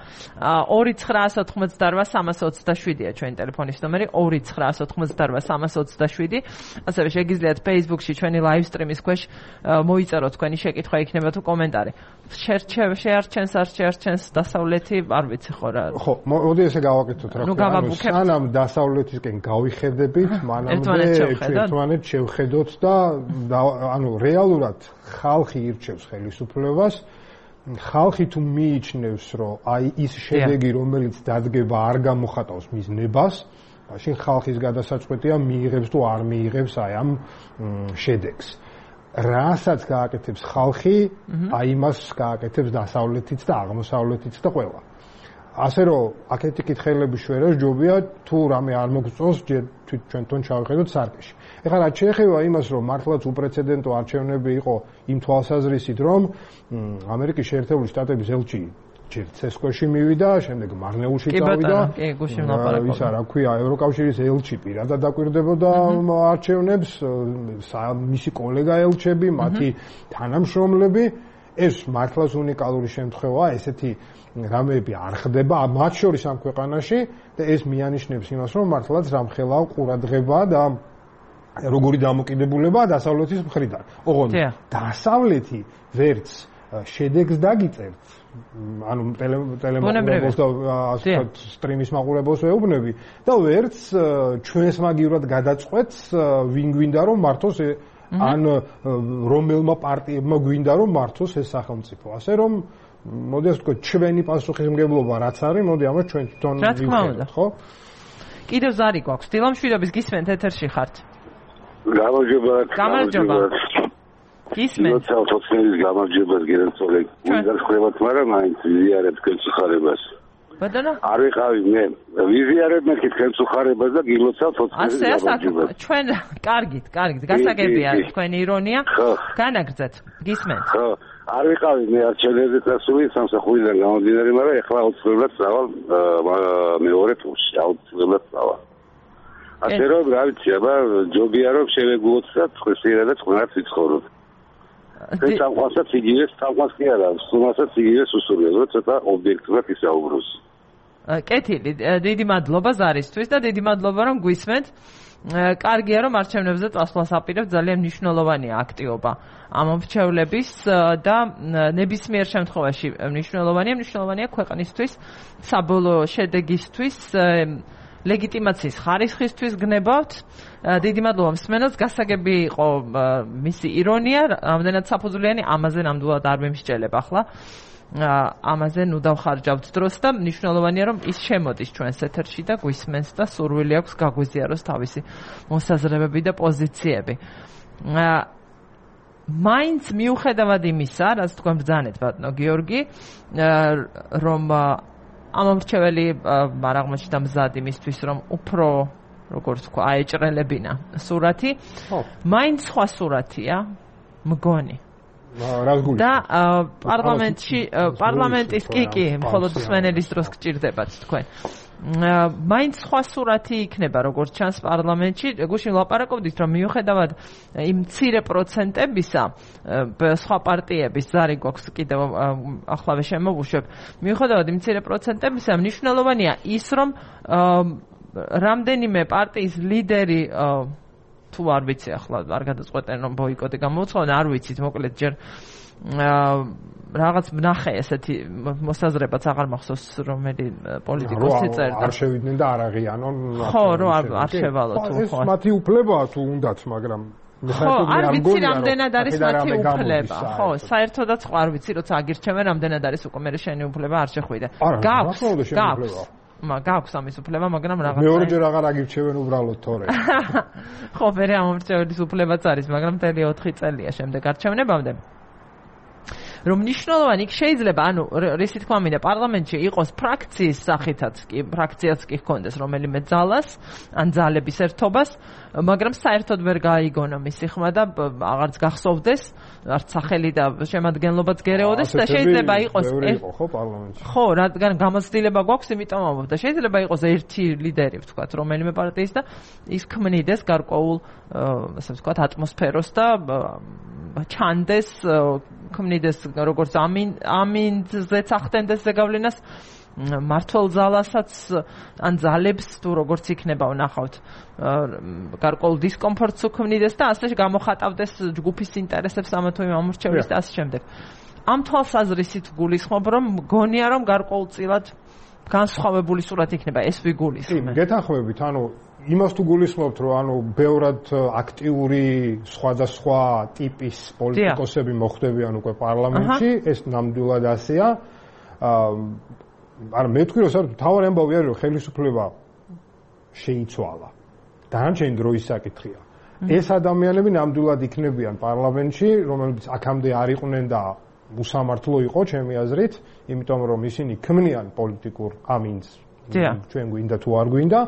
2988327-ია ჩვენი ტელეფონის ნომერი 2988327 ასევე შეგიძლიათ Facebook-ში ჩვენი live stream-ის ქვეშ მოიწეროთ თქვენი შეკითხვა იქნება თუ კომენტარი შეარჩენს არ შეარჩენს დასავლეთი არ ვიცი ხო რა ხო მოდი ესე გავაკეთოთ რა სანამ დასავლეთისკენ გავიხედებით მანამდე ერთმანეთს შევხედოთ და ანუ რეალურად ხალხი ირჩევს ხელისუფლებას ხალხი თუ მიიჩნევს რომ აი ის შედეგი რომელიც დადგება არ გამოხატავს მის ნებას მაშინ ხალხის გადასაწყვეტია მიიღებს თუ არ მიიღებს აი ამ შედეგს რასაც გააკეთებს ხალხი აი იმას გააკეთებს დასავლეთიც და აღმოსავლეთიც და ყველა ასე რომ აქეთი კითხელები შვერას ჯობია თუ რამე არ მოგწონს ჩვენთან ჩავიხედოთ სარკეში ეხლა რაც შეეხება იმას რომ მართლაც უპრეცედენტო არჩევნები იყო იმ თვალსაზრისით რომ ამერიკის შეერთებული შტატების ელჩი ჯერ ცესკოში მივიდა შემდეგ მარნეულში წავიდა ისა რა ქვია ევროკავშირის ელჩი პირადად დაკვირდებოდა არჩევნებს მისი კოლეგა ელჩები მათი თანამშრომლები ეს მართლაც უნიკალური შემთხვევაა ესეთი რამეები არ ხდება მათ შორის ამ ქვეყანაში და ეს მიანიშნებს იმას რომ მართლაც რამხელა ყურადღება და როგორი დამოკიდებულებაა დასავლეთის მხრიდან ოღონდ დასავლეთი ვერც შედეგს დაგიწერთ ანუ ტელემოყურებელს და ასე სტრიმის მაყურებელს ვეუბნები და ვერც ჩვენს მაგივრად გადაწყვეტს ვინ გვინდა რომ მართოს ან რომელმა პარტიებმა გვინდა რომ მართოს ეს სახელმწიფო ასე რომ მოდი ასე ვთქვათ ჩვენი პასუხისმგებლობა რაც არის მოდი ამას ჩვენ თვითონ ვიხსენოთ ხო კიდევ ზარი გვაქვს დილამშვიდობის გისმენთ ეთერში ხართ გამარჯობა გისმენთ თოცხინის გამარჯვებას გერენცოლე უზარხლებათ მაგრამ მაინც ვიზიარებ თქვენს ხარებას ბატონო არ ვიყავი მე ვიზიარებ მე თქვენს ხარებას და გილოცავ თოცხინის გამარჯვებას ჩვენ კარგით გასაგებია თქვენი ირონია განაგრძეთ გისმენთ ხო არ ვიყავი მე არჩევნებზე წასული სამსახურიდან გამომდინარე მაგრამ ეხლა აუცილებლად წავალ მეორე ტურში აუცილებლად წავალ ასე რომ რა ვიცი აბა ჯობია რომ შევეგულოთ და წყნარად ვიცხოვროთ ეს სამყაროსაც იგივეს სამყაროს კი არა სულასაც იგივეს უსურვებს ცოტა ობიექტურად ისაუბროს კეთილი დიდი მადლობა ზარისთვის და დიდი მადლობა რომ გვისმენთ კარგია რომ არჩევნებზე წასვლას აპირებთ ძალიან მნიშვნელოვანია აქტივობა ამომრჩევლების და ნებისმიერ შემთხვევაში მნიშვნელოვანია ქვეყნისთვის საბოლოო შედეგისთვის ლეგიტიმაციის ხარისხისთვის გნებავთ. დიდი მადლობა მსმენელს, გასაგები იყო მისი ირონია, ამდენად საფუძვლიანი, ამაზე ნამდვილად არ მიმსჭელებ ახლა. ამაზე ნუ დავხარჯავთ დროს და მნიშვნელოვანია რომ ის შემოდის ჩვენს ეთერში და გვისმენს და სურვილი აქვს გაგვიზიაროს თავისი მოსაზრებები და პოზიციები. მაინც მიუხედავად იმისა, რაც თქვენ ბრძანეთ ბატონო გიორგი, რომ ამომრჩეველი მარაღმაში და მზად იმისთვის რომ უფრო როგორც თქვა აეჭრელებინა სურათი, მაინც სხვა სურათია მგონი. და პარლამენტის კი, მხოლოდ მსმენელის დროს გჭირდებათ თქვენ. მაინც სხვა სურათი იქნება, როგორც ჩანს პარლამენტში. გუშინ ლაპარაკობდით, რომ მიუხედავად იმ მცირე პროცენტებისა, სხვა პარტიების ზარი გვაქვს კიდევ ახლავე შემოვუშვებ. მიუხედავად იმ მცირე პროცენტებისა, მნიშვნელოვანია ის, რომ რამდენიმე პარტიის ლიდერი თუ არ ვიცი ახლა არ გადაწყვეტენ რომ ბოიკოტი გამოუცხადონ, არ ვიცით, მოკლედ ჯერ რაღაც ნახე ესეთი მოსაზრებაც აღარ მახსოვს რომელი პოლიტიკოსი წერდა. არ შევიდნენ და არ აღიანონ. ხო, რომ არ შევალო თუ ხო. ეს მათი უფლებაა თუ უნდათ, მაგრამ ხო, არ ვიცი რამდენად არის მათი უფლება. ხო, საერთოდაც ხო არ ვიცი, როცა აგირჩევენ რამდენად არის უკვე მე შენი უფლება არ შეხვიდე. გაქვს ამის უფლება, მაგრამ რაღაცა მეორეჯერ აღარ აგირჩევენ უბრალოდ თორე. ხო, მე ამორჩევის უფლებაც არის, მაგრამ მთელი 4 წელია შემდეგ არჩევნებამდე. რომ ნიშნულოვანი შეიძლება, ანუ რისი თქმა მინდა, პარლამენტში იყოს ფრაქციის სახითაც კი, ფრაქციაც კი ჰქონდეს რომელიმე ძალას, ან ძალების ერთობას, მაგრამ საერთოდ ვერ გაიგონა მისი ხმა და აღარც გახსოვდეს, არც სახელი და შემადგენლობაც გერეოდეს და შეიძლება იყოს ხო პარლამენტში. ხო, რადგან გამოცდილება გვაქვს, იმიტომ ამბობ და შეიძლება იყოს ერთი ლიდერი, ვთქვათ, რომელიმე პარტიის და ის ქმნიდეს გარკვეულ, ასე ვთქვათ, ატმოსფეროს და ჩანდეს ქმნიდეს როგორც ამინძეც ახდენდეს ზეგავლენას მართლ ძალასაც ან ძალებს თუ როგორც იქნება ვნახავთ გარკვეულ დისკომფორტს უქმნიდეს და ასე გამოხატავდეს ჯგუფის ინტერესებს ამა თუ იმ ამორჩევის და ასე შემდეგ. ამ თვალსაზრისით გულისხმობ რომ მგონია რომ გარკვეულწილად განსხვავებული სურათი იქნება ეს ვიგულისხმე. გეთანხმებით, ანუ იმას თუ გულისხმობთ, რომ ანუ ბევრად აქტიური სხვადასხვა ტიპის პოლიტიკოსები მოხდებიან უკვე პარლამენტში, ეს ნამდვილად ასეა. არა მე თქვი რომ საერთოდ თავარი ამბავი არის რომ ხელისუფლება შეიცვალა. დანარჩენი დროის საკითხია. ეს ადამიანები ნამდვილად იქნებიან პარლამენტში, რომლებიც აქამდე არ იყვნენ და უსამართლო იყო ჩემი აზრით, იმიტომ რომ ისინი ქმნიან პოლიტიკურ ამინს. ჩვენ გვინდა თუ არ გვინდა,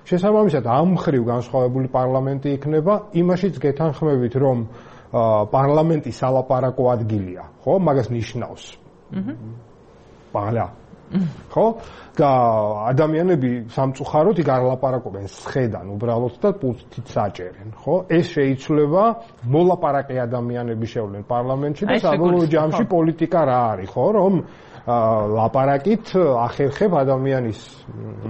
შესაბამისად ამ მხრივ განსხვავებული პარლამენტი იქნება, იმაშიც გეთანხმებით რომ პარლამენტი სალაპარაკო ადგილია, ხო? მაგას ნიშნავს. პარლა ხო? და ადამიანები სამწუხაროდ იქ არ ლაპარაკობენ სხედან უბრალოდ და პულტით საჭერენ, ხო? ეს შეიძლება მოლაპარაკე ადამიანები შევლენ პარლამენტში და საბოლოო ჯამში პოლიტიკა რა არის, ხო? რომ ლაპარაკით ახერხებ ადამიანის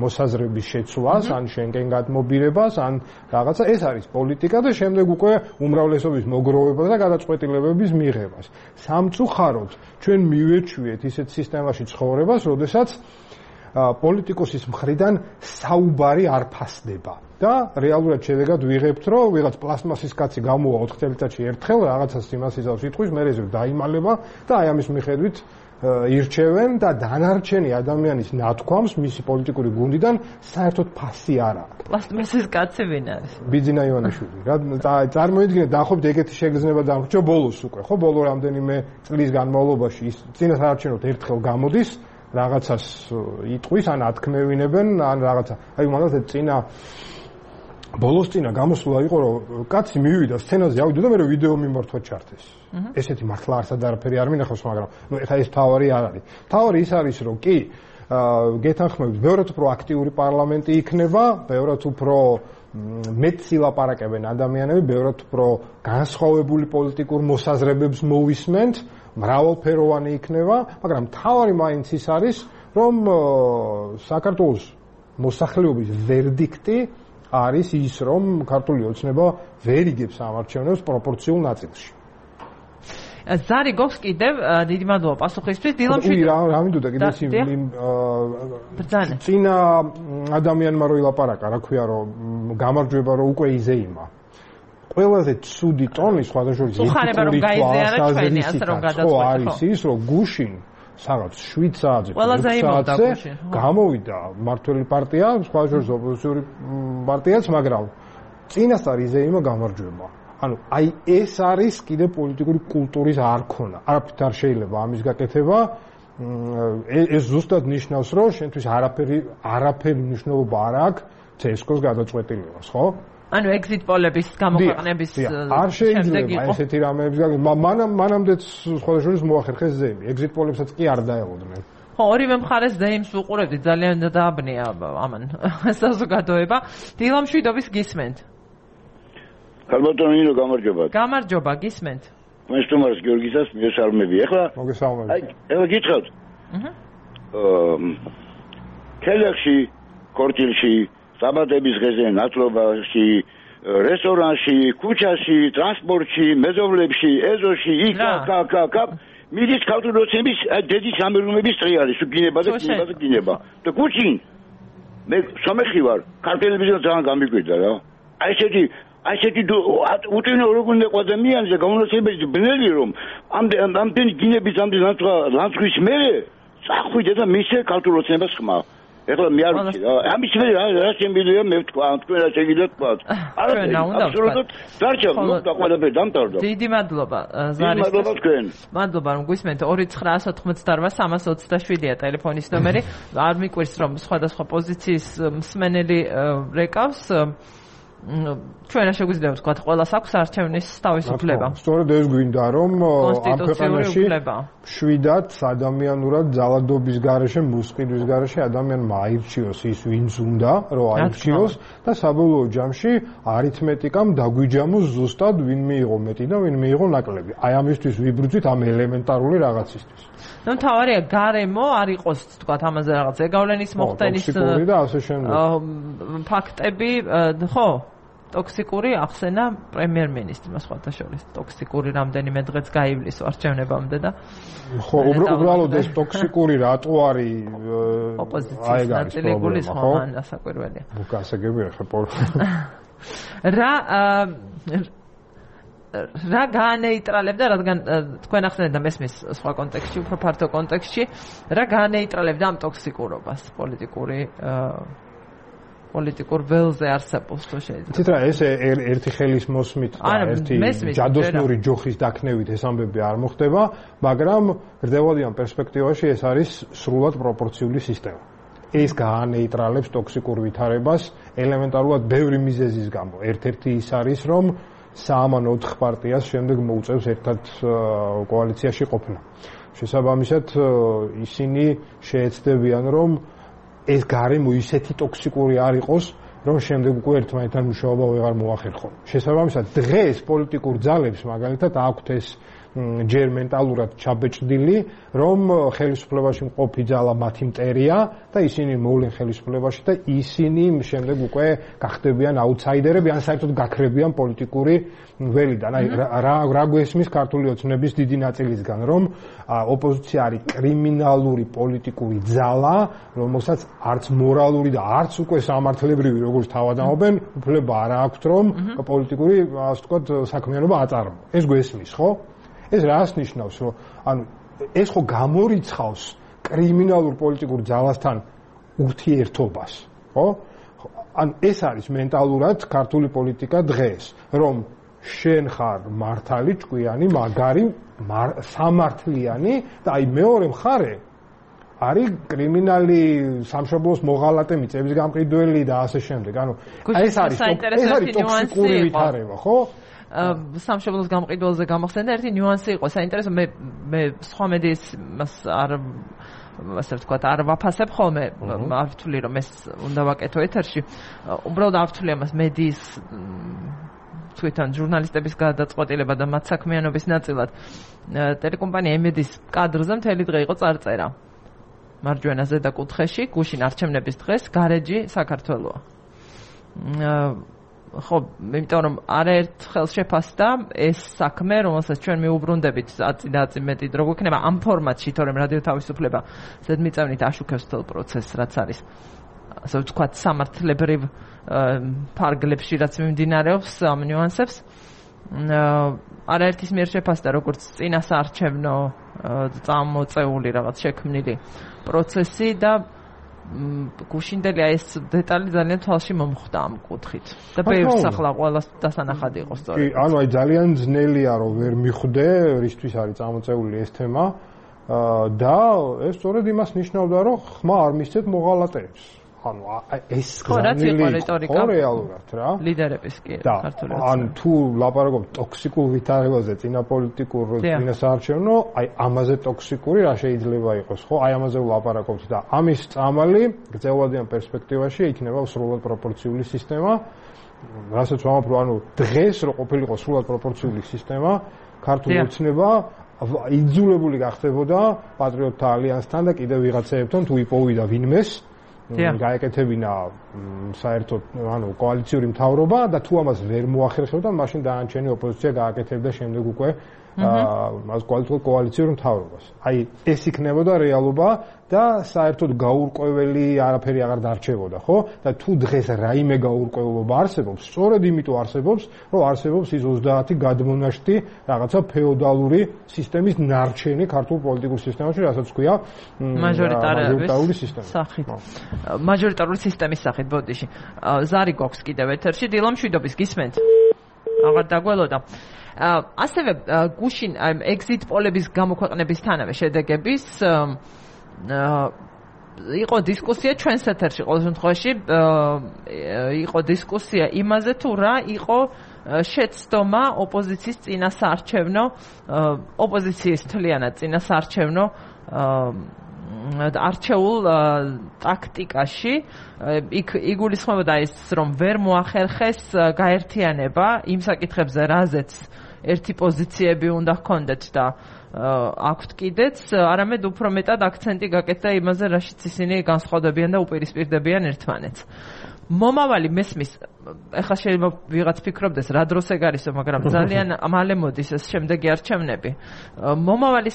მოსაზრების შეცვლას, ან შენკენ გადმობირებას, ან რაღაცა ეს არის პოლიტიკა და შემდეგ უკვე უმრავლესობის მოგროვებას და გადაწყვეტილებების მიღებას. სამწუხაროდ ჩვენ მივეჩვიეთ ისეთ სისტემაში ცხოვრებას, როდესაც პოლიტიკოსის მხრიდან საუბარი არ ფასდება და რეალურად შედეგად ვიღებთ, რომ ვიღაც პლასმასის კაცი გამოვა 4 წელიწადში ერთხელ რაღაცას იმას იზავს იტყვის, მე ეს დაიმალება და აი ამის მიხედვით ირჩევენ და დანარჩენი ადამიანის ნათქვამს მისი პოლიტიკური გუნდიდან საერთოდ ფასი არ აქვს. პლასტმასის კაცი ვინ არის? ბიძინა ივანიშვილი. რა წარმოიდგინეთ, დაახლოებით ეგეთი შეგრძნება დამრჩა ბოლოს უკვე, ხო? ბოლო რამდენიმე წლის განმავლობაში ის წინა საარჩევნოდ ერთხელ გამოდის, რაღაცას იტყვის, ან ათქმევინებენ, ან რაღაცა. აი მაგალითად წინა ბოლოს წინა გამოსვლა იყო, რომ კაცი მივიდა სცენაზე, ავიდა და მე ვიდეო მიმართვა ჩართეს. ესეთი მართლა არსად არაფერი არ მინახავს, მაგრამ ნუ ეხლა ეს თავარი არ არის. თავარი ის არის, რომ კი გეთანხმებით, ბევრად უფრო აქტიური პარლამენტი იქნება, ბევრად უფრო მეტ სილაპარაკებენ ადამიანები, ბევრად უფრო განსხვავებული პოლიტიკურ მოსაზრებებს მოვისმენთ, მრავალფეროვანი იქნება, მაგრამ თავარი მაინც ის არის, რომ საქართველოს მოსახლეობის ვერდიქტი არის ის, რომ ქართული ოცნება ვერ იგებს ამ არჩევნებს პროპორციულ ნაწილში. ზარი გოხს კიდევ დიდი მადლობა პასუხისთვის. დილამშვიდ რა მინდოდა კიდე წინა ადამიანმა რო ილაპარაკა, რა ქვია, რომ გამარჯვება რო უკვე იზეიმა. ყველაზე ცუდი ტონი სხვადასხვა ეთიკური თვალსაზრისით არის ის, რომ გუშინ სადაც 7 საათზე გამოვიდა მართველი პარტია, სხვადასხვა ოპოზიციური პარტიაც, მაგრამ წინასწარ იზეიმა გამარჯვება. ანუ აი ეს არის კიდე პოლიტიკური კულტურის არქონა. არაფრით არ შეიძლება ამის გაკეთება. ეს ზუსტად ნიშნავს, რომ შენთვის არაფერი მნიშვნელობა არ აქვს CSKO-ს გადაწყვეტილებას, ხო? ანუ exit poll-ების გამოქვეყნების არ შეიძლება ესეთი რამეების მანამდეც სხვადასხვა მოახერხეს ზეიმი. exit poll-ებსაც კი არ დაელოდნენ. ხო, ორივე მხარეს ზეიმს უყურებდით, ძალიან დააბნია ამან საზოგადოება. დილამშვიდობის გისმენთ. ქალბატონო, გამარჯობა. გამარჯობა, გისმენთ. მესტუმარს გიორგისას მიესალმები. ეხლა მოგესალმებით. ეხლა გითხრათ. ქელეხში, ქორჭილში, საბადების დღეზე, ნათლობაში, რესტორანში, ქუჩაში, ტრანსპორტში, მეზობლებში, ეზოში, იქ მიდის ქართული ოცნების დედის სამეურნეობის ტრიალი, გინება და გინება. და ქუჩინ მე სამეხი ვარ, ქართველებისგან ძალიან გამიგვიდა რა. აი ესეთი უტინო როგორ უნდა ადამიანზე გამონაცემები ბნელი რომ ამდენი გინების ამდენი ლანცღვის მერე წახვიდე და მისე ქართულ ოცნებას ხმა. ეხლა მე არ ვიცი რა. ამის მე რა შემიძლია მე ვთქვა, თქვენ რა შეგიძლიათ თქვა. აბსოლუტურად დარჩა, და ყველაფერი დამთავრდა. დიდი მადლობა ზარის. მადლობა თქვენ. მადლობა რომ გვისმენთ 2988-327-ია ტელეფონის ნომერი. არ მიკვირს რომ სხვადასხვა პოზიციის მსმენელი რეკავს. ჩვენ რა შეგვიძლია ვთქვათ, ყველას აქვს არჩევნის თავისუფლება. სწორედ ეს გვინდა რომ ამ ქვეყანაში შვიდად ადამიანურად ძალადობის გარეშე, მუსყიდვის გარეშე ადამიანმა აირჩიოს ის, ვინც უნდა რომ აირჩიოს და საბოლოო ჯამში არითმეტიკამ დაგვიჯამოს ზუსტად ვინ მიიღო მეტი და ვინ მიიღო ნაკლები. აი ამისთვის ვიბრძვით ამ ელემენტარული რაღაცისთვის. ნუ თავარია გარემო არ იყოს თქვათ ამაზე რაღაც ეგავლენის მოხდენის და ასე შემდეგ. ფაქტები ხო ტოქსიკური ახსენა პრემიერ-მინისტრმა სხვათა შორის ტოქსიკური რამდენიმე დღეც გაივლის არჩევნებამდე და ხო უბრალოდ ეს ტოქსიკური რატო არის ოპოზიციის ნაწილი გულისხმობს მან ასაკვირველია გასაგებია ხო რა გაანეიტრალებდა რადგან თქვენ ახსენეთ და მესმის სხვა კონტექსტში უფრო ფართო კონტექსტში რა გაანეიტრალებდა ამ ტოქსიკურობას პოლიტიკურ ველზე არსებობს თუ შეიძლება. ცით რა ეს ერთი ხელის მოსმით და ერთი ჯადოსნური ჯოხის დაქნევით ეს ამბები არ მოხდება, მაგრამ გრძელვადიან პერსპექტივაში ეს არის სრულად პროპორციული სისტემა. ეს გაანეიტრალებს ტოქსიკურ ვითარებას ელემენტარულად ბევრი მიზეზის გამო. ერთ-ერთი ის არის რომ 3 ან 4 პარტიას შემდეგ მოუწევს ერთად კოალიციაში ყოფნა. შესაბამისად ისინი შეეცდებიან რომ ეს გარემო ისეთი ტოქსიკური არ იყოს, რომ შემდეგ უკვე ერთმანეთთან მუშაობა ვეღარ მოახერხონ. შესაბამისად, დღეს პოლიტიკურ ძალებს მაგალითად აქვთ ეს ჯერ მენტალურად ჩაბეჭდილი, რომ ხელისუფლებაში მყოფი ძალა მათი მტერია და ისინი მოვლენ ხელისუფლებაში და ისინი შემდეგ უკვე გახდებიან აუთსაიდერები, ან საერთოდ გაქრებიან პოლიტიკური ველიდან. აი რა გვესმის ქართული ოცნების დიდი ნაწილისგან, რომ ოპოზიცია არის კრიმინალური პოლიტიკური ძალა, რომელსაც არც მორალური და არც უკვე სამართლებრივი როგორც თავადამობენ, უფლება არ აქვთ, რომ პოლიტიკური, ასე ვთქვათ, საქმიანობა აწარმოოს. ეს გვესმის, ხო? ეს რას ნიშნავს, რომ ანუ ეს ხო გამორიცხავს კრიმინალურ პოლიტიკურ ძალასთან ურთიერთობას, ხო? ანუ ეს არის მენტალურად ქართული პოლიტიკა დღეს, რომ შენ ხარ მართალი, ჭკვიანი, მაგარი, სამართლიანი და აი მეორე მხარე არის კრიმინალი, სამშობლოს მოღალატე, მიწების გამყიდველი და ასე შემდეგ. ანუ ეს არის ტოქსიკური ვითარება, ხო? სამშობლოს გამყიდველზე გამახსენდა ერთი ნიუანსი იყო საინტერესო მე სხვა მედიის არ ასე ვთქვათ არ ვაფასებ ხოლმე არ ვთვლი რომ ეს უნდა ვაკეთო ეთერში უბრალოდ არ ვთვლი ამას მედიის თვითონ ჟურნალისტების გადაწყვეტილება და მათ საქმიანობის ნაწილად ტელეკომპანია ემედის კადრზე მთელი დღე იყო წარწერა მარჯვენა ზედა კუთხეში გუშინ არჩევნების დღეს გარეჯი საქართველოა ხო, იმიტომ რომ არაერთხელ შეფასდა ეს საქმე, რომელსაც ჩვენ მიუბრუნდებით აწი მეტი დრო გვექნება ამ ფორმატში, თორემ რადიო თავისუფლება ზედმიწევნით აშუქებს თელ პროცესს, რაც არის ასე ვთქვათ, სამართლებრივ ფარგლებში, რაც მიმდინარეობს ამ ნიუანსებს. არაერთის მიერ შეფასდა როგორც წინასაარჩევნო წამოწეული რაღაც შექმნილი პროცესი და გუშინდელი ეს დეტალი ძალიან თვალში მომხვდა ამ კუთხით და ბევრს ახლა ყველას დასანახად იყო სწორედ. კი, ანუ აი ძალიან ძნელია რომ ვერ მიხვდე, რისთვის არის წამოწეული ეს თემა და ეს სწორედ იმას ნიშნავდა რომ ხმა არ მისცეთ მოღალატეებს. ანუ ეს რეალურად რა ლიდერების კი ქართული ან თუ ლაპარაკობ ტოქსიკურ ვითარებაზე წინაპოლიტიკურ წინასაარჩევნო აი ამაზე ტოქსიკური რა შეიძლება იყოს ხო აი ამაზე ვლაპარაკობთ და ამის წამალი გრძელვადიან პერსპექტივაში იქნება სრულად პროპორციული სისტემა რასაც ვამბობ რომ ანუ დღეს რო ყოფილიყო სრულად პროპორციული სისტემა ქართული ოცნება იძულებული გახდებოდა პატრიოტთა ალიანსთან და კიდევ ვიღაცაებთან თუ იპოვიდა ვინმეს გაეკეთებინა საერთოდ ანუ კოალიციური მთავრობა და თუ ამას ვერ მოახერხებდა, მაშინ დაანჩენი ოპოზიცია გააკეთებდა შემდეგ უკვე მას კოალიციური მთავრობას. აი ეს იქნებოდა რეალობა და საერთოდ გაურკვეველი არაფერი აღარ დარჩებოდა, ხო? და თუ დღეს რაიმე გაურკვევლობა არსებობს, სწორედ იმიტომ არსებობს, რომ არსებობს ის 30 გადმონაშთი რაღაცა ფეოდალური სისტემის ნარჩენი ქართულ პოლიტიკურ სისტემაში, რასაც ქვია მაჟორიტარული სისტემა. სახით. მაჟორიტარული სისტემის სახით ბოდიში. ზარი გვაქვს კიდევ ეთერში, დილო მშვიდობის გისმენთ. აღარ დაგველოდა. ასევე გუშინ exit polების გამოქვეყნებისთანავე შედეგების იყო დისკუსია ჩვენს ეთერში ყოველ შემთხვევაში იყო დისკუსია იმაზე თუ რა იყო შეცდომა ოპოზიციის წინასაარჩევნო ოპოზიციის თლიანად წინასაარჩევნო არჩეულ ტაქტიკაში იქ იგულისხმებოდა ის რომ ვერ მოახერხეს გაერთიანება იმ საკითხებზე რაზეც ერთი პოზიციები უნდა ჰქონდეთ და აქვთ კიდეც, არამედ უფრო მეტად აქცენტი გაკეთდა იმაზე, რაშიც ისინი განსხვავდებიან და უპირისპირდებიან ერთმანეთს. მომავალი მესმის, ეხლა შეიძლება ვიღაც ფიქრობდეს, რა დროს ეგ არისო, მაგრამ ძალიან მალე მოდის ეს შემდეგი არჩევნები. მომავალ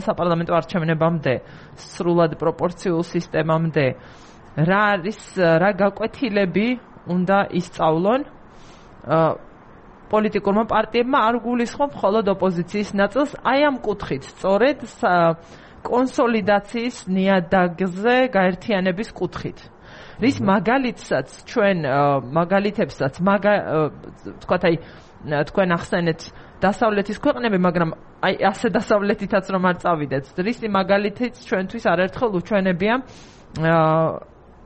საპარლამენტო არჩევნებამდე, სრულად პროპორციულ სისტემამდე, რა გაკვეთილები უნდა ისწავლონ პოლიტიკურმა პარტიებმა არ გულისხმობ მხოლოდ ოპოზიციის ნაწილს, აი ამ კუთხით, სწორედ კონსოლიდაციის ნიადაგზე გაერთიანების კუთხით. რის მაგალითებსაც თქვათ აი თქვენ ახსენეთ დასავლეთის ქვეყნები, მაგრამ აი ასე დასავლეთითაც რომ არ წავიდეთ. რის მაგალითიც ჩვენთვის არაერთხელ უჩვენებია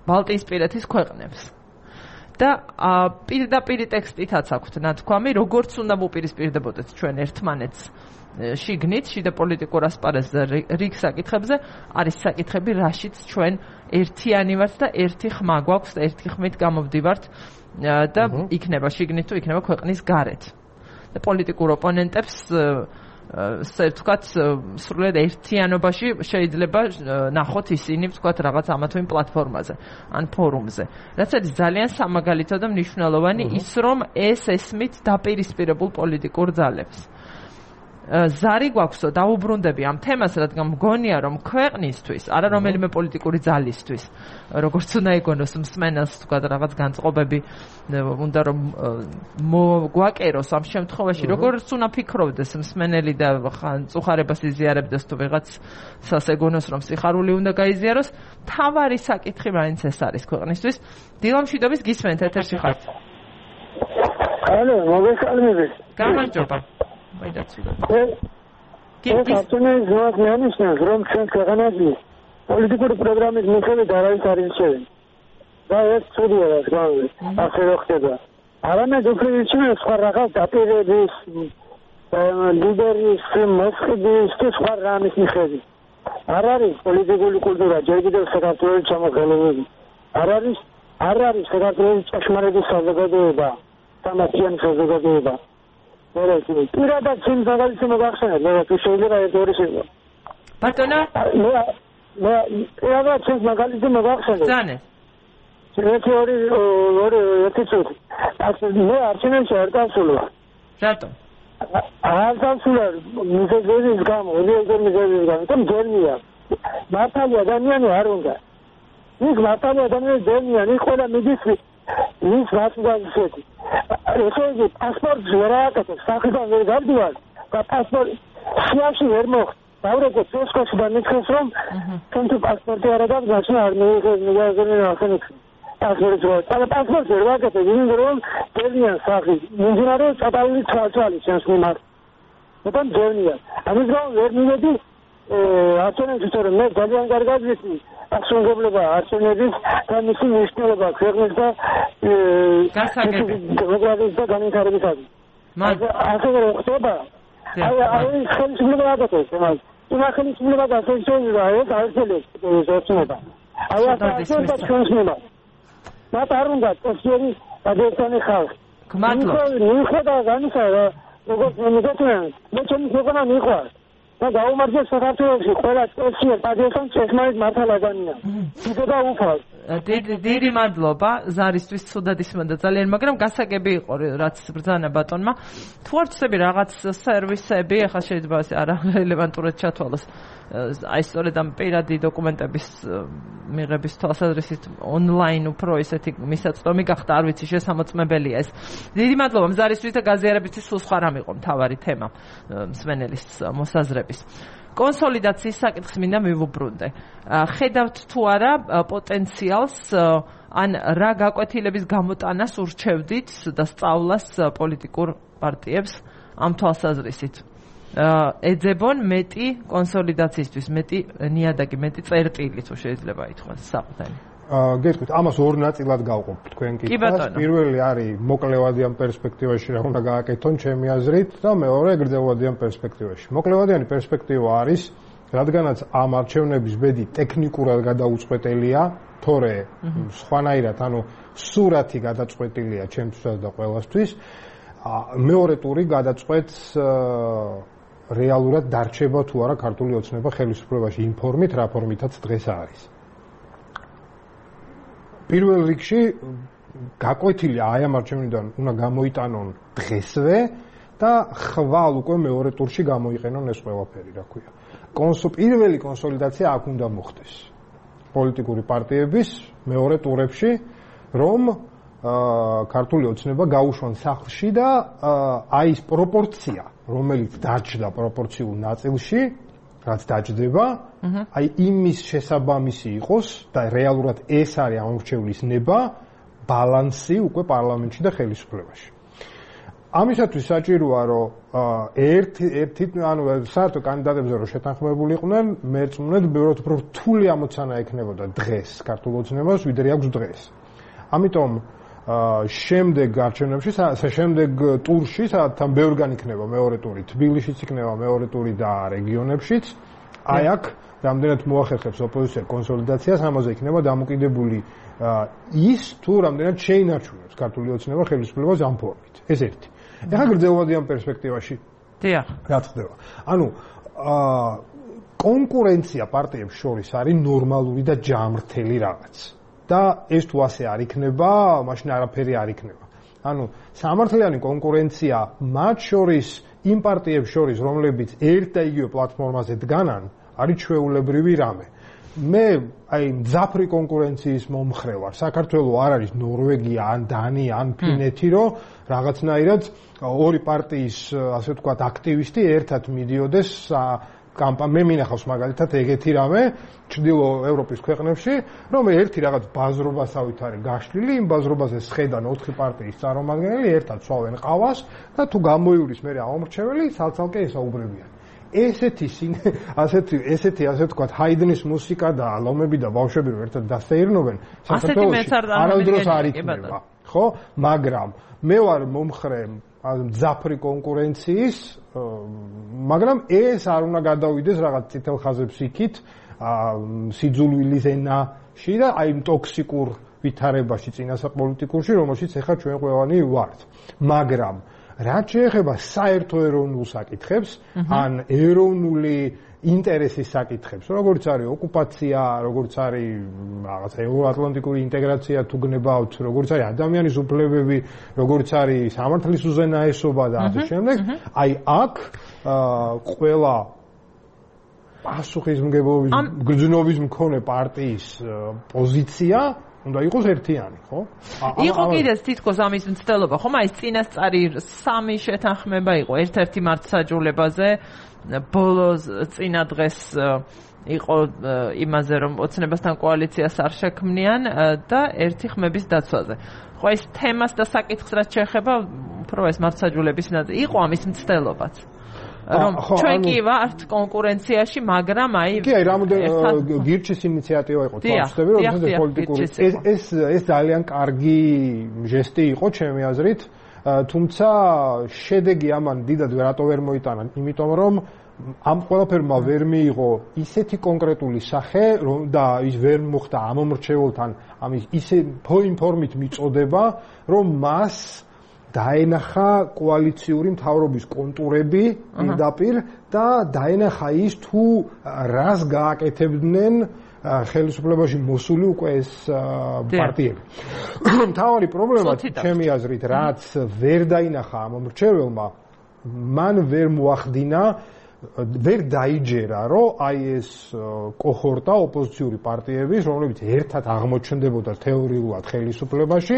ბალტიისპირეთის ქვეყნებს. და პირდაპირ ტექსტითაც აქვთ ნათქვამი, როგორც უნდა მოპირისპირდებოდეთ ჩვენ ერთმანეთს შიგნით, შიდა პოლიტიკურ ასპარეზზე, რიგ საკითხებზე, არის საკითხები, რაშიც ჩვენ ერთიანი ვართ და ერთი ხმა გვაქვს და ერთი ხმით გამოვდივართ და იქნება შიგნით თუ იქნება ქვეყნის გარეთ. და პოლიტიკურ ოპონენტებს ვთქვათ, სრულად ერთიანობაში შეიძლება ნახოთ ისინი, ვთქვათ, რაღაც ამა თუ იმ პლატფორმაზე ან ფორუმზე. რაც არის ძალიან სამაგალითო და მნიშვნელოვანი ის, რომ ეს ესმით დაპირისპირებულ პოლიტიკურ ძალებს. ზარი გვაქვსო, დაუბრუნდები ამ თემას, რადგან მგონია, რომ ქვეყნისთვის, არა რომელიმე პოლიტიკური ძალისთვის, როგორც უნდა იგონოს მსმენელს, თქვათ, რაღაც განწყობები უნდა რომ მოგვაკეროს ამ შემთხვევაში, როგორც უნდა ფიქრობდეს მსმენელი და წუხარებას იზიარებდეს თუ ვიღაცას ეგონოს, რომ სიხარული უნდა გაიზიაროს, თავარი საკითხი მაინც ეს არის ქვეყნისთვის. დილო მშვიდობის გისმენთ, ეთერში ხართ. ალო, მოგესალმებით. გამარჯობა. ქართულის ზოგადიანის რომ ჩვენ ქვეყანაში პოლიტიკური პროგრამის მიხედვით არავის არ ირჩევენ. და ეს ცუდია რა ასე რო ხდება. არამედ უფრო ირჩევენ სხვა რაღაც დაპირების ლიდერის მოსყიდის თუ სხვა რამის მიხედვით. არ არის პოლიტიკური კულტურა ჯერ კიდევ საქართველოს ჩამოყალიბებული. არ არის საქართველოს ჭეშმარიტი საზოგადოება, სამართლიანი საზოგადოება. პირადად ჩემს მაგალითს მოგახსენებ, თუ შეიძლება ერთ-ორი შეიძლება. ბატონო? მე პირადად ჩემს მაგალითს მოგახსენებ. ზანე. ერთი წუთი. მე არჩევნებში არ დავსულვარ. რატომ? არ დავსულვარ მიზეზის გამო, მიზეზის გამო, თუმცა ჯერმია. მართალი ადამიანი არ უნდა. ის მართალი ადამიანი ჯერმია, ის ყველა მიდის ის ვასუგაზეთი. ესე იგი, პასპორტს ვერ ააკეთებს, სახედან ვერ გავდივარ და პასპორტი სიაში ვერ მოხდა. დავრეკო ცესკოში და მითხრეს, რომ თუნ თუ პასპორტი არ აქვს, მაშინ არ მიიღებენ ახენებს. პასპორტს ვერ ვაკეთებ, იმიტომ რომ ჯერმიან სახი. მიმდინარე წატალული თვალთვალი ჩემს მიმართ. მაგრამ ჯერმიან. ამის გამო ვერ მივედი არჩევნებში, თორემ მე ძალიან კარგად ვიცი ასრულებლობა არჩევნების და მისი მნიშვნელობა ქვეყნის და დემოკრატიის და განვითარებისათვის. ასე რომ ხდება, აი ხელისუფლება აკეთებს ამას. იმ ხელისუფლებას ასე შეიძლება ეს აერთელებს ზოწმება. აი ასე და ჩვენს მიმართ. მათ არ უნდა წესიერი გადაეცანი ხალხი. გმადლობთ. მიხვდა განისა, როგორც მოგეთქვენ, მე ჩემი ქვეყანა მიყვარს. და გაუმარჯოს საქართველოში ყველა სპეციალ პატრიოტს ესმაის მართალ ადამიანი. იგება უფალ. დიდი მადლობა ზარისთვის ცუდად ისმოდა ძალიან, მაგრამ გასაგები იყო რაც ბრძანა ბატონმა. თუ არ ვწები რაღაც სერვისები, ახლა შეიძლება არარელევანტურად ჩათვალოს. აი სწორედ ამ პირადი დოკუმენტების მიღების თვალსაზრისით ონლაინ უფრო ისეთი მისაწვდომი გახდა, არ ვიცი შესამოწმებელია ეს. დიდი მადლობა მზარისთვის და გაზიარებისთვის სულ სხვა რამ იყო მთავარი თემა მსმენელის მოსაზრების. კონსოლიდაციის საკითხს მინდა მივუბრუნდე. ხედავთ თუ არა პოტენციალს ან რა გაკვეთილების გამოტანას ურჩევდით და სწავლას პოლიტიკურ პარტიებს ამ თვალსაზრისით? ეძებონ მეტი კონსოლიდაციისთვის, მეტი ნიადაგი, მეტი წერტილი თუ შეიძლება ითქვას საყდენი. გეტყვით, ამას ორ ნაწილად გავყოფ თქვენ კითხვას. პირველი არის მოკლევადიან პერსპექტივაში რა უნდა გააკეთონ ჩემი აზრით და მეორე გრძელვადიან პერსპექტივაში. მოკლევადიანი პერსპექტივა არის, რადგანაც ამ არჩევნების ბედი ტექნიკურად გადაუწყვეტელია, თორე სხვანაირად, ანუ სურათი გადაწყვეტილია ჩემთვისაც და ყველასთვის. მეორე ტური გადაწყვეტს რეალურად დარჩება თუ არა ქართული ოცნება ხელისუფლებაში იმ ფორმით, რა ფორმითაც დღეს არის. პირველ რიგში გაკვეთილი აი ამ არჩევნიდან უნდა გამოიტანონ დღესვე და ხვალ უკვე მეორე ტურში გამოიყენონ ეს ყველაფერი, რა ქვია. პირველი კონსოლიდაცია აქ უნდა მოხდეს. პოლიტიკური პარტიების მეორე ტურებში, რომ ქართული ოცნება გაუშვან სახლში და აი ეს პროპორცია, რომელიც დაჯდა პროპორციულ ნაწილში, რაც დაჯდება, აი იმის შესაბამისი იყოს და რეალურად ეს არის ამორჩევლის ნება, ბალანსი უკვე პარლამენტში და ხელისუფლებაში. ამისათვის საჭიროა, რომ ერთი ანუ საერთო კანდიდატებზე რომ შეთანხმებულიყვნენ, მეწმუნეთ ბევრად უფრო რთული ამოცანა ექნებოდა დღეს ქართულ ოცნებას, ვიდრე აქვს დღეს. ამიტომ შემდეგ არჩევნებში, შემდეგ ტურში, სადაც თან ბევრგან იქნება მეორე ტური, თბილისშიც იქნება მეორე ტური და რეგიონებშიც, აი აქ რამდენად მოახერხებს ოპოზიცია კონსოლიდაციას, ამაზე იქნება დამოკიდებული ის, თუ რამდენად შეინარჩუნებს ქართული ოცნება ხელისუფლებას ამ ფორმით. ეს ერთი. ეხლა გრძელვადიან პერსპექტივაში. დიახ. რა ხდება? ანუ კონკურენცია პარტიებს შორის არის ნორმალური და ჯამრთელი რაღაც. და ეს თუ ასე არ იქნება, მაშინ არაფერი არ იქნება. ანუ სამართლიანი კონკურენცია მათ შორის, იმ პარტიებს შორის, რომლებიც ერთ და იგივე პლატფორმაზე დგანან, არის ჩვეულებრივი რამე. მე აი მძაფრი კონკურენციის მომხრე ვარ. საქართველოს არ არის ნორვეგია, ან დანია, ან ფინეთი, რომ რაღაცნაირად ორი პარტიის, ასე ვთქვათ, აქტივისტი ერთად მიდიოდეს მე მინახავს მაგალითად ეგეთი რამე ჩრდილო ევროპის ქვეყნებში, რომ ერთი რაღაც ბაზრობასავით არის გაშლილი, იმ ბაზრობაზე სხედან 4 პარტიის წარმომადგენელი ერთად სვავენ ყავას და თუ გამოივლის მე ამორჩეველი, ცალ-ცალკე ესაუბრებიან. ესეთი ასე ვთქვათ, ჰაიდნის მუსიკა და ლომები და ბავშვები რომ ერთად დასეირნობენ, საქართველოში არასდროს არ იქნება, ხო? მაგრამ მე ვარ მომხრე მძაფრი კონკურენციის, მაგრამ ეს არ უნდა გადავიდეს რაღაც წითელ ხაზებს იქით, სიძულვილის ენაში და აი ტოქსიკურ ვითარებაში წინასაპოლიტიკურში, რომელშიც ახლა ჩვენ ყველანი ვართ. მაგრამ რაც შეეხება საერთო ეროვნულ საკითხებს, ან ეროვნული ინტერესის საკითხებს, როგორც არის ოკუპაცია, როგორც არის რაღაც ევროატლანტიკური ინტეგრაცია თუ გნებავთ, როგორც არის ადამიანის უფლებები, როგორც არის სამართლის უზენაესობა და ასე შემდეგ, აი აქ ყველა პასუხისმგებლობის გრძნობის მქონე პარტიის პოზიცია უნდა იყოს ერთიანი, ხო? იყო კიდეც თითქოს ამის მცდელობა, ხომ? აი წინასწარი 3 შეთანხმება იყო ერთ-ერთი მართლმსაჯულებაზე, ბოლოს წინა დღეს იყო იმაზე, რომ ოცნებასთან კოალიციას არ შექმნიან და ერთი ხმების დაცვაზე. ხო, ეს თემას და საკითხს რაც შეეხება, უფრო ეს მართლმსაჯულების ნაწილი იყო ამის მცდელობაც. რომ ჩვენ კი ვართ კონკურენციაში, მაგრამ აი კი, აი გირჩის ინიციატივა იყო თვალსწრები, რომ ეს პოლიტიკური ეს ძალიან კარგი ჟესტი იყო ჩემი აზრით, თუმცა შედეგი ამან დიდად რატო ვერ მოიტანა, იმიტომ რომ ამ ყველაფერმა ვერ მიიღო ისეთი კონკრეტული სახე, და ის ვერ მოხდა ამომრჩეველთან ამის ისე ფორმით მიწოდება, რომ მას დაენახა კოალიციური მთავრობის კონტურები პირდაპირ და დაენახა ის თუ რას გააკეთებდნენ ხელისუფლებაში მოსული უკვე ეს პარტიები. მთავარი პრობლემა ჩემი აზრით რაც ვერ დაინახა ამ მრჩეველმა მან ვერ მოახდინა ვერ დაიჯერა რომ აი ეს კოჰორტა ოპოზიციური პარტიების რომლებიც ერთად აღმოჩნდებოდა თეორიულად ხელისუფლებაში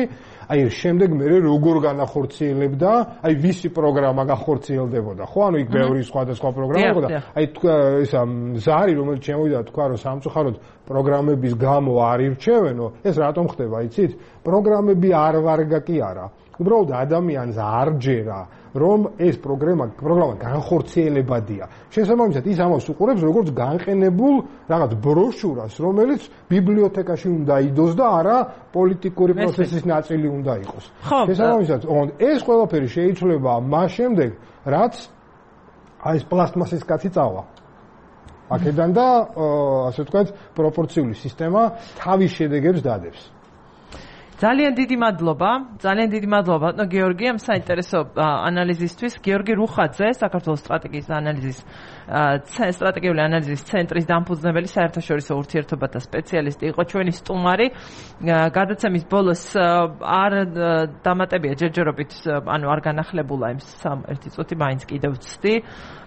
აი შემდეგ მე როგორ განახორციელებდა აი ვისი პროგრამა განახორციელდებოდა ხო ანუ იქ ბევრი სხვადასხვა პროგრამა იყო და აი ისა ზარი რომელიც შემოვიდა თქვა რომ სამწუხაროდ პროგრამების გამო არ ირჩევენო ეს რატომ ხდება იცით პროგრამები არ ვარგა კი არა უბრალოდ ადამიანს არ ჯერა რომ ეს პროგრამა განხორციელებადია. შესაბამისად ის ამას უყურებს როგორც განყენებულ რაღაც ბროშურას, რომელიც ბიბლიოთეკაში უნდა იდოს და არა პოლიტიკური პროცესის ნაწილი უნდა იყოს. შესაბამისად, ეს ყველაფერი შეიძლება მას შემდეგ, რაც აი ეს პლასტმასის კაცი წავა. აქედან და ასე ვთქვათ, პროპორციული სისტემა თავის შედეგებს დადებს. ძალიან დიდი მადლობა ბატონო გიორგი ამ საინტერესო ანალიზისთვის. გიორგი რუხაძე, საქართველოს სტრატეგიის ანალიზის სტრატეგიული ანალიზის ცენტრის დამფუძნებელი, საერთაშორისო ურთიერთობათა სპეციალისტი იყო ჩვენი სტუმარი. გადაცემის ბოლოს არ დამატებია ჯერჯერობით, ანუ არ განახლებულა იმ 1 წუთი, მაინც კიდევ ვცდი,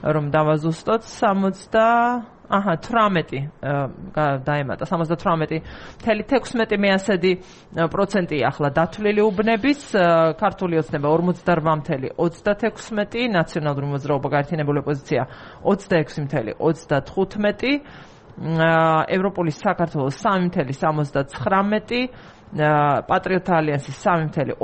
რომ დავაზუსტოთ 18 დაემატა 78.16% ახლა დათვლილი უბნების, ქართული ოცნება 48.36%, ნაციონალური მოძრაობა გაერთიანებული ოპოზიცია 26.35%, ევროპული საქართველოს 3.79%, პატრიოტთა ალიანსის 3.2%,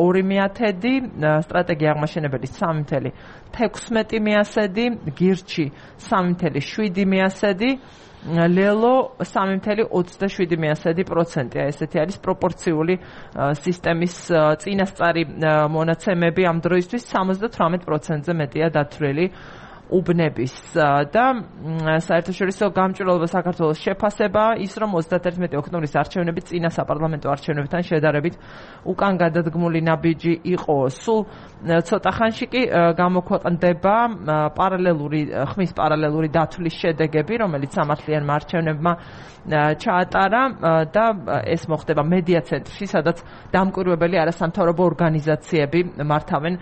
სტრატეგია აღმაშენებელი 3.16%, გირჩი 3.7%, ლელო 3.27%. ესეთი არის პროპორციული სისტემის წინასწარი მონაცემები ამ დროისთვის 78%-ზე მეტია დათვლილი უბნების და საერთაშორისო გამჭვირვალობა საქართველოს შეფასება ის რომ 31 ოქტომბრის არჩევნები წინა საპარლამენტო არჩევნებთან შედარებით უკან გადადგმული ნაბიჯი იყო. სულ ცოტა ხანში კი გამოქვეყნდება ხმის პარალელური დათვლის შედეგები, რომელიც სამართლიანმა არჩევნებმა ჩაატარა და ეს მოხდება მედია ცენტრში, სადაც დამკვირვებელი არასამთავრობო ორგანიზაციები მართავენ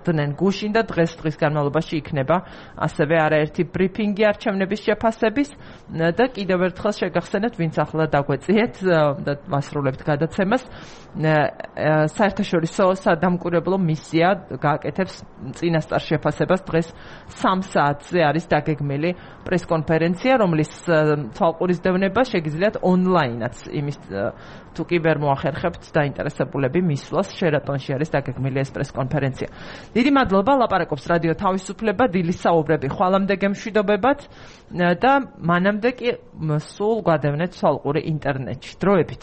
დნენ გუშინ და დღეს განმავლობაში იქნება ასევე არაერთი ბრიფინგი არჩევნების შეფასების და კიდევ ერთხელ შეგახსენეთ, ვინც ახლა დაგვეწიეთ და მასრულებთ გადაცემას, საერთაშორისო სადამკვირვებლო მისია გააკეთებს წინასწარ შეფასებას. დღეს 3 საათზე არის დაგეგმილი პრესკონფერენცია, რომლის თვალყურისდევნება შეგიძლიათ ონლაინაც, იმის თუ კი ვერ მოახერხებთ დაინტერესებულები მისვლას, შერატონში არის დაგეგმილი ეს პრესკონფერენცია. დიდი მადლობა, ლაპარაკობს რადიო თავისუფლება, დილის საუბრები ხვალამდე გემშვიდობებათ და მანამდე კი სულ გვადევნეთ თვალყური ინტერნეტში. დროებით.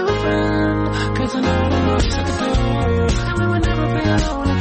Cause I know the most I could do, and we would never be alone.